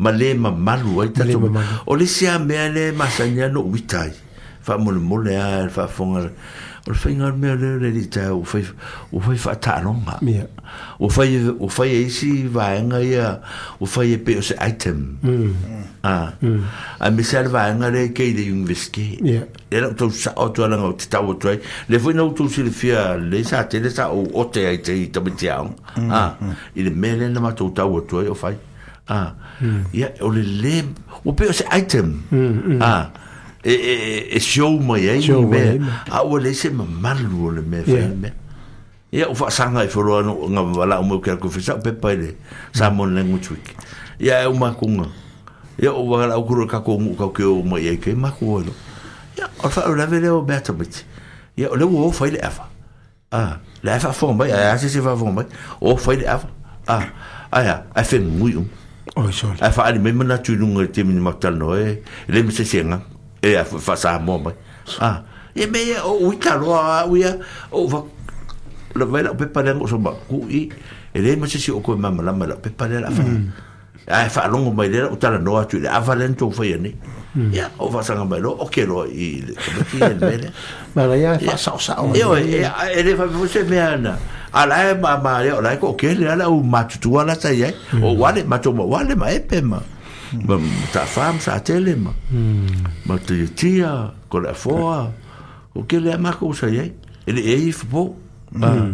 ma le mamalu ai tatou o le sia mea le masani a no uitai faamolemole a le faafofoga O le faiga o le mea lea le alii taeao ua fai ua fai faataaloga. Ua fai ua fai e isi vaega ia ua fai e pei o se item. Ah. Aemaise lava le vaega lea e kei i le University. Lea la outou sao atu ai leaga ou te tau atu ai. Lea foi na outou silafia lelei sa tele sa ou ote ai i tamaiti aoga. Ah, i le mea lea na matou tau atu ai o fai. Ah. Ia o le lē ua pei o se item. Ah. E, e, e show mai ai ni mea a ua leai se mamalu o le mea fai mea. Ia o faasaga i foloa no nga wala o mau ke aku fesa pepa i le Samoan Language Week. Ia e umakunga. Ia o wala o kuro kako ngu kau ke o mai ai ke maku olo. Ia o fa o lave le o mea tamiti. Ia o le o fai le afa. Ah, le afa fo mai a se se fa fo mai. O fai le afa. Ah, aia, ai fe ngui um. Oi sorry. Ai fa ali me mana tu lunga te mini matal no e le me se senga. E a fa Samoa mai. Ah, ia me ia o uita loa uia o va la vai la pepa le ngo so ma ku i e le ma se si o ko mama la ma la pepa le la fa. Ai fa longo mai le o tala no atu le ava le to fa ni. Ia o fa sanga mai lo o ke lo i le ti le mele. Ma la ia fa sa sa o. Io e e le fa se me ana. Ala e ma ma le o la ko ke le ala o matutua la sa ia. O wale ma to wale ma epe ma. Ma ta fam sa tele ma. Ma te tia ko la foa. O ke le ma ko sa ia. E le e fo. Ah.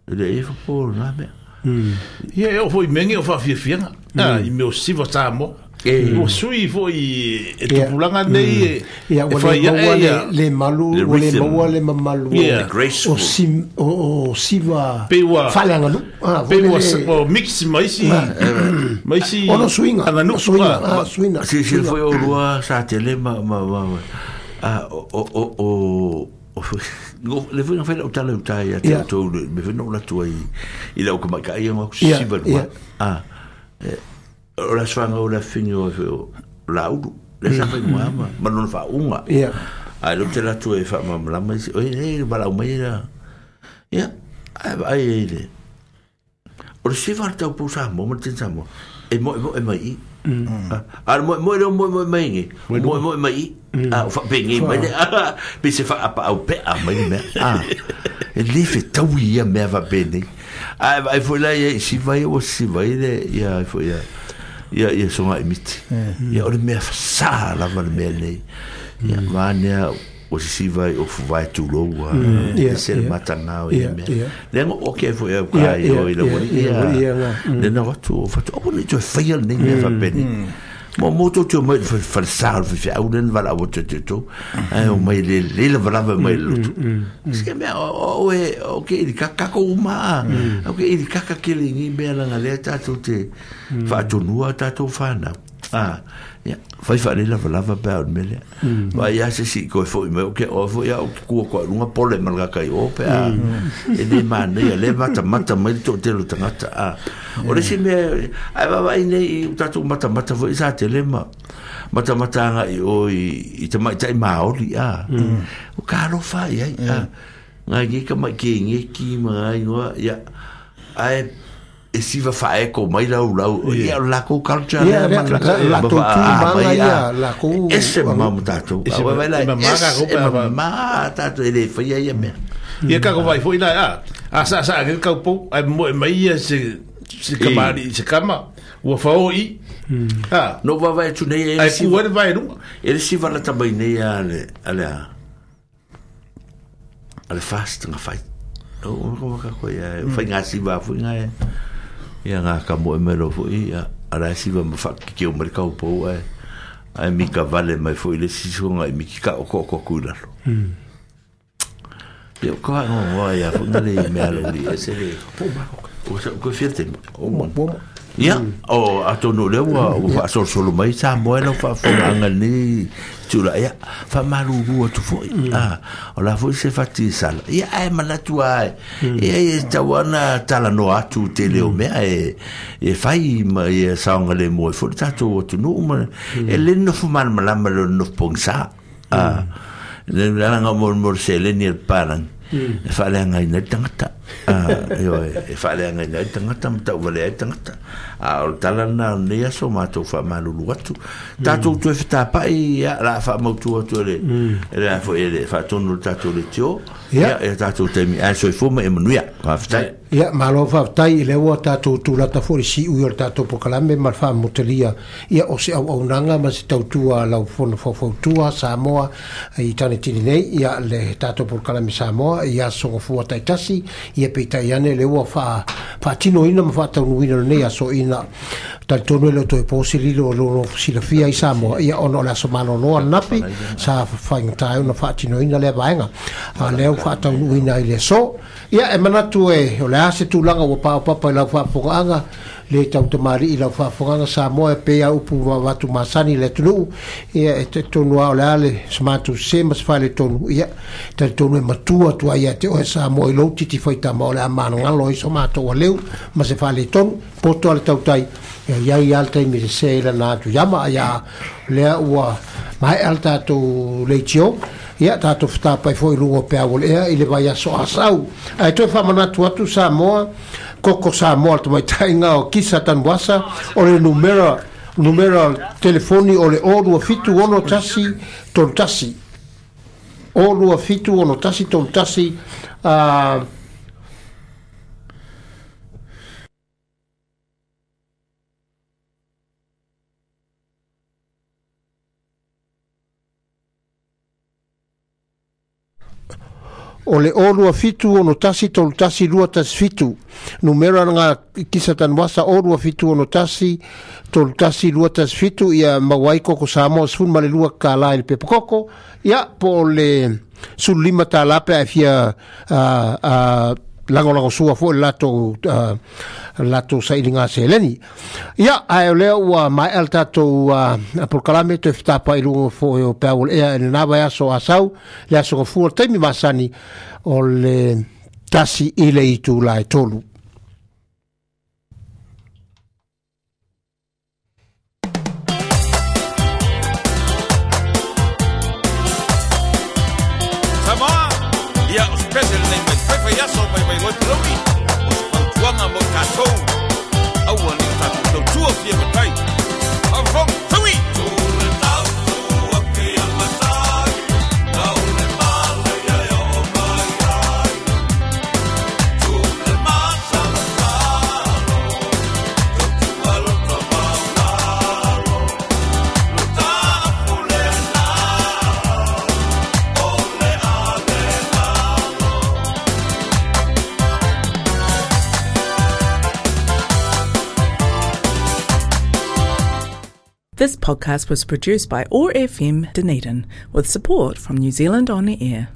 E le e fo na me. Ia e o foi menge o faafiafiaga. Ah, i mea o siva Samoa. Ua sui foi e tupulaga nei e fai ae ia le malu ua le maua le mamalu o sim o siva faaleaganuu. Pei ua mix ma isi ma isi ono suiga suiga suiga. Silasila foi o lua sa tele ma ma ma a o o o le foi na fai lau tala utai ia te outou me foi na ou latu ai i lau kamaikai ia ku siva lua. Ah, o la swanga o la fini o la ulu le sa fai mua ma ma lona faauga. Ae lou te latu e faamalamalama isi oi e valaau mai la ia ae vaai ai le o le siva le taupou Samoa ma le tini Samoa e moemoe mai i. A le moemoe lea o moemoe mai ge moemoe mai i. A o faapegei mai le pe se faapaau pea mai le mea. A e lē fetaui ia mea faapenei. Ae vaai foi la ia i siva ia ua siva ai le ia foi ia ia ia songa i miti. Ia o le mea fasā lava le mea nei. Ia maanea o sisiva i o fuvae tulou a se le matagao ia mea. Lea ngo o ke foi au ka i o i la wali ia le na watu o fatu o ni toe whaia le nei mea whapene. Mo mo tō tō mai whalesā o whiwhi au len wala o tō tō tō ai o mai le le lava lava mai le lotu. Sike mea o e o ke iri kaka uma o ke iri kaka kele ngi mea langa lea tātou te whaatonua tātou whānau. Ah, ia whai whaare lava lava pea o le mea lea. Vai ia se si koe foi mai o ke o foi ia o ke kua koa runga pole malga kai o pea. E le mānei le mata mata mai le tō tangata. Ah, o le si mea ai vava i nei i tātou mata mata foi sa te le ma mata mata anga i o i, i te maitai Māori. Ah, o ka alofa i ai. Ah, ngai ngi ka mai ke ngi ki ma ngai ngoa ia ai e siva faeko mai lau lau ia la ko culture ia la to tu manga ia la ko ese mama tatou vai la ese mama tatou ele foi ia mea ia ka ko vai foi la a a sa sa ke kau po ai mo mai ia se se kamari se kama ua faoi ah no va vai tu nei ai ku vai lu ele siva la tabai nei ale ale ale fast nga fai o ko ka ko ia fai nga siva foi nga ia ngā ka moe mai lo foi ia ala siva ma whakike o mai kau pau ai ai mika vale mai foi le sisonga i miki ka o ko ko ku lalo. Ia ko ha ngo ia foi ngale mea lo li e se le o sa ko fiete o mo ia o atonu le ua ua faasolosolo mai Samoa lau faafofogaaga lenei tula ia faamalulu atu foʻi a o la foʻi se fati sala ia ae manatu ae ia e tau ana talanoa atu tele o mea e e fai ma ia saogalemu ai foʻi le tatou atunuu ma e le nofo malamalama le nofo pogisā a le alaga molemole seleni e le palangi e faaleagaina ai le tagata e faaleagaina ai le tagata ma tauvalea ai le tagata a o le tala lena o lenei aso matou faamalulu atu tatou toe fetapaʻi ia la faamautu atu e le e le foi e le faatonu le tatou le tio Ia e tatou taimi ae soifua ma e manuia. Faafetai. Ia, malo faafetai i le ua tatou tulata foi i le siui o le tatou polokalame ma le faamotalia ia o se auaunaga ma se tautua lau fono faufautua Samoa i Tanetini nei, ia le tatou polokalame Samoa i aso gafua taitasi, ia peitai ane le ua faa faatinoina ma faataunuina lenei aso ina talitonu e le o toe po se lilo o lo silafia i Samoa, ia ona o le aso malolo ananafi sa faigata ai ona faatinoina lea vaega a lea ua faataunuuina i le aso. Ia e manatu e o le a se tulaga ua paopapa i lau faafofogaaga le tautamalii i lau faafofogaaga Samoa e pei a upu vavatu masani i le atunuu, ia e talitonu lava o le a le se matou sese ma se faaletonu, ia talitonu e matua atu ai ia te oe Samoa i lou titi faitama o le a managalo ai so matou aleu ma se faaletonu poto a le tautai. Ia iai lava le taimi sese i lana atu iama ia lea ua maea le tatou leitio, ia tatou fetapai foi i luga o peau o le ea i le vaiaso asau. Ae toe faamanatu atu Samoa, koko Samoa le tamaitaiga o Kisa Tanuasa, o le numera numera telefoni o le o lua fitu ono tasi tolu tasi o lua fitu ono tasi tolu tasi a o le o lua fitu ono tasi tolu tasi lua tasi fitu. Numera nga Kisa Tanuasa o lua fitu ono tasi tolu tasi lua tasi fitu, ia maua ai koko Samoa sefulu ma le lua kālā i le pepa koko, ia po o le sulu lima tālā pe a e fia uh, uh, lagolagosua foi le latou uh, latou sailiga seleni. Ia ae o lea ua maea le tatou uh, polokalame toe fetapa i luga foi o peau o le ea i lena vaiaso asau le aso gafua le taimi masani o le tasi i le itula e tolu. Samoa, ia o se pese lenei mai faifaiaso mai mai loi palauli, o se fautuaga mo tatou, aua ne i o tatou tautua fia matai. Faafofoga, taui! This podcast was produced by O R F M Dunedin with support from New Zealand On Air.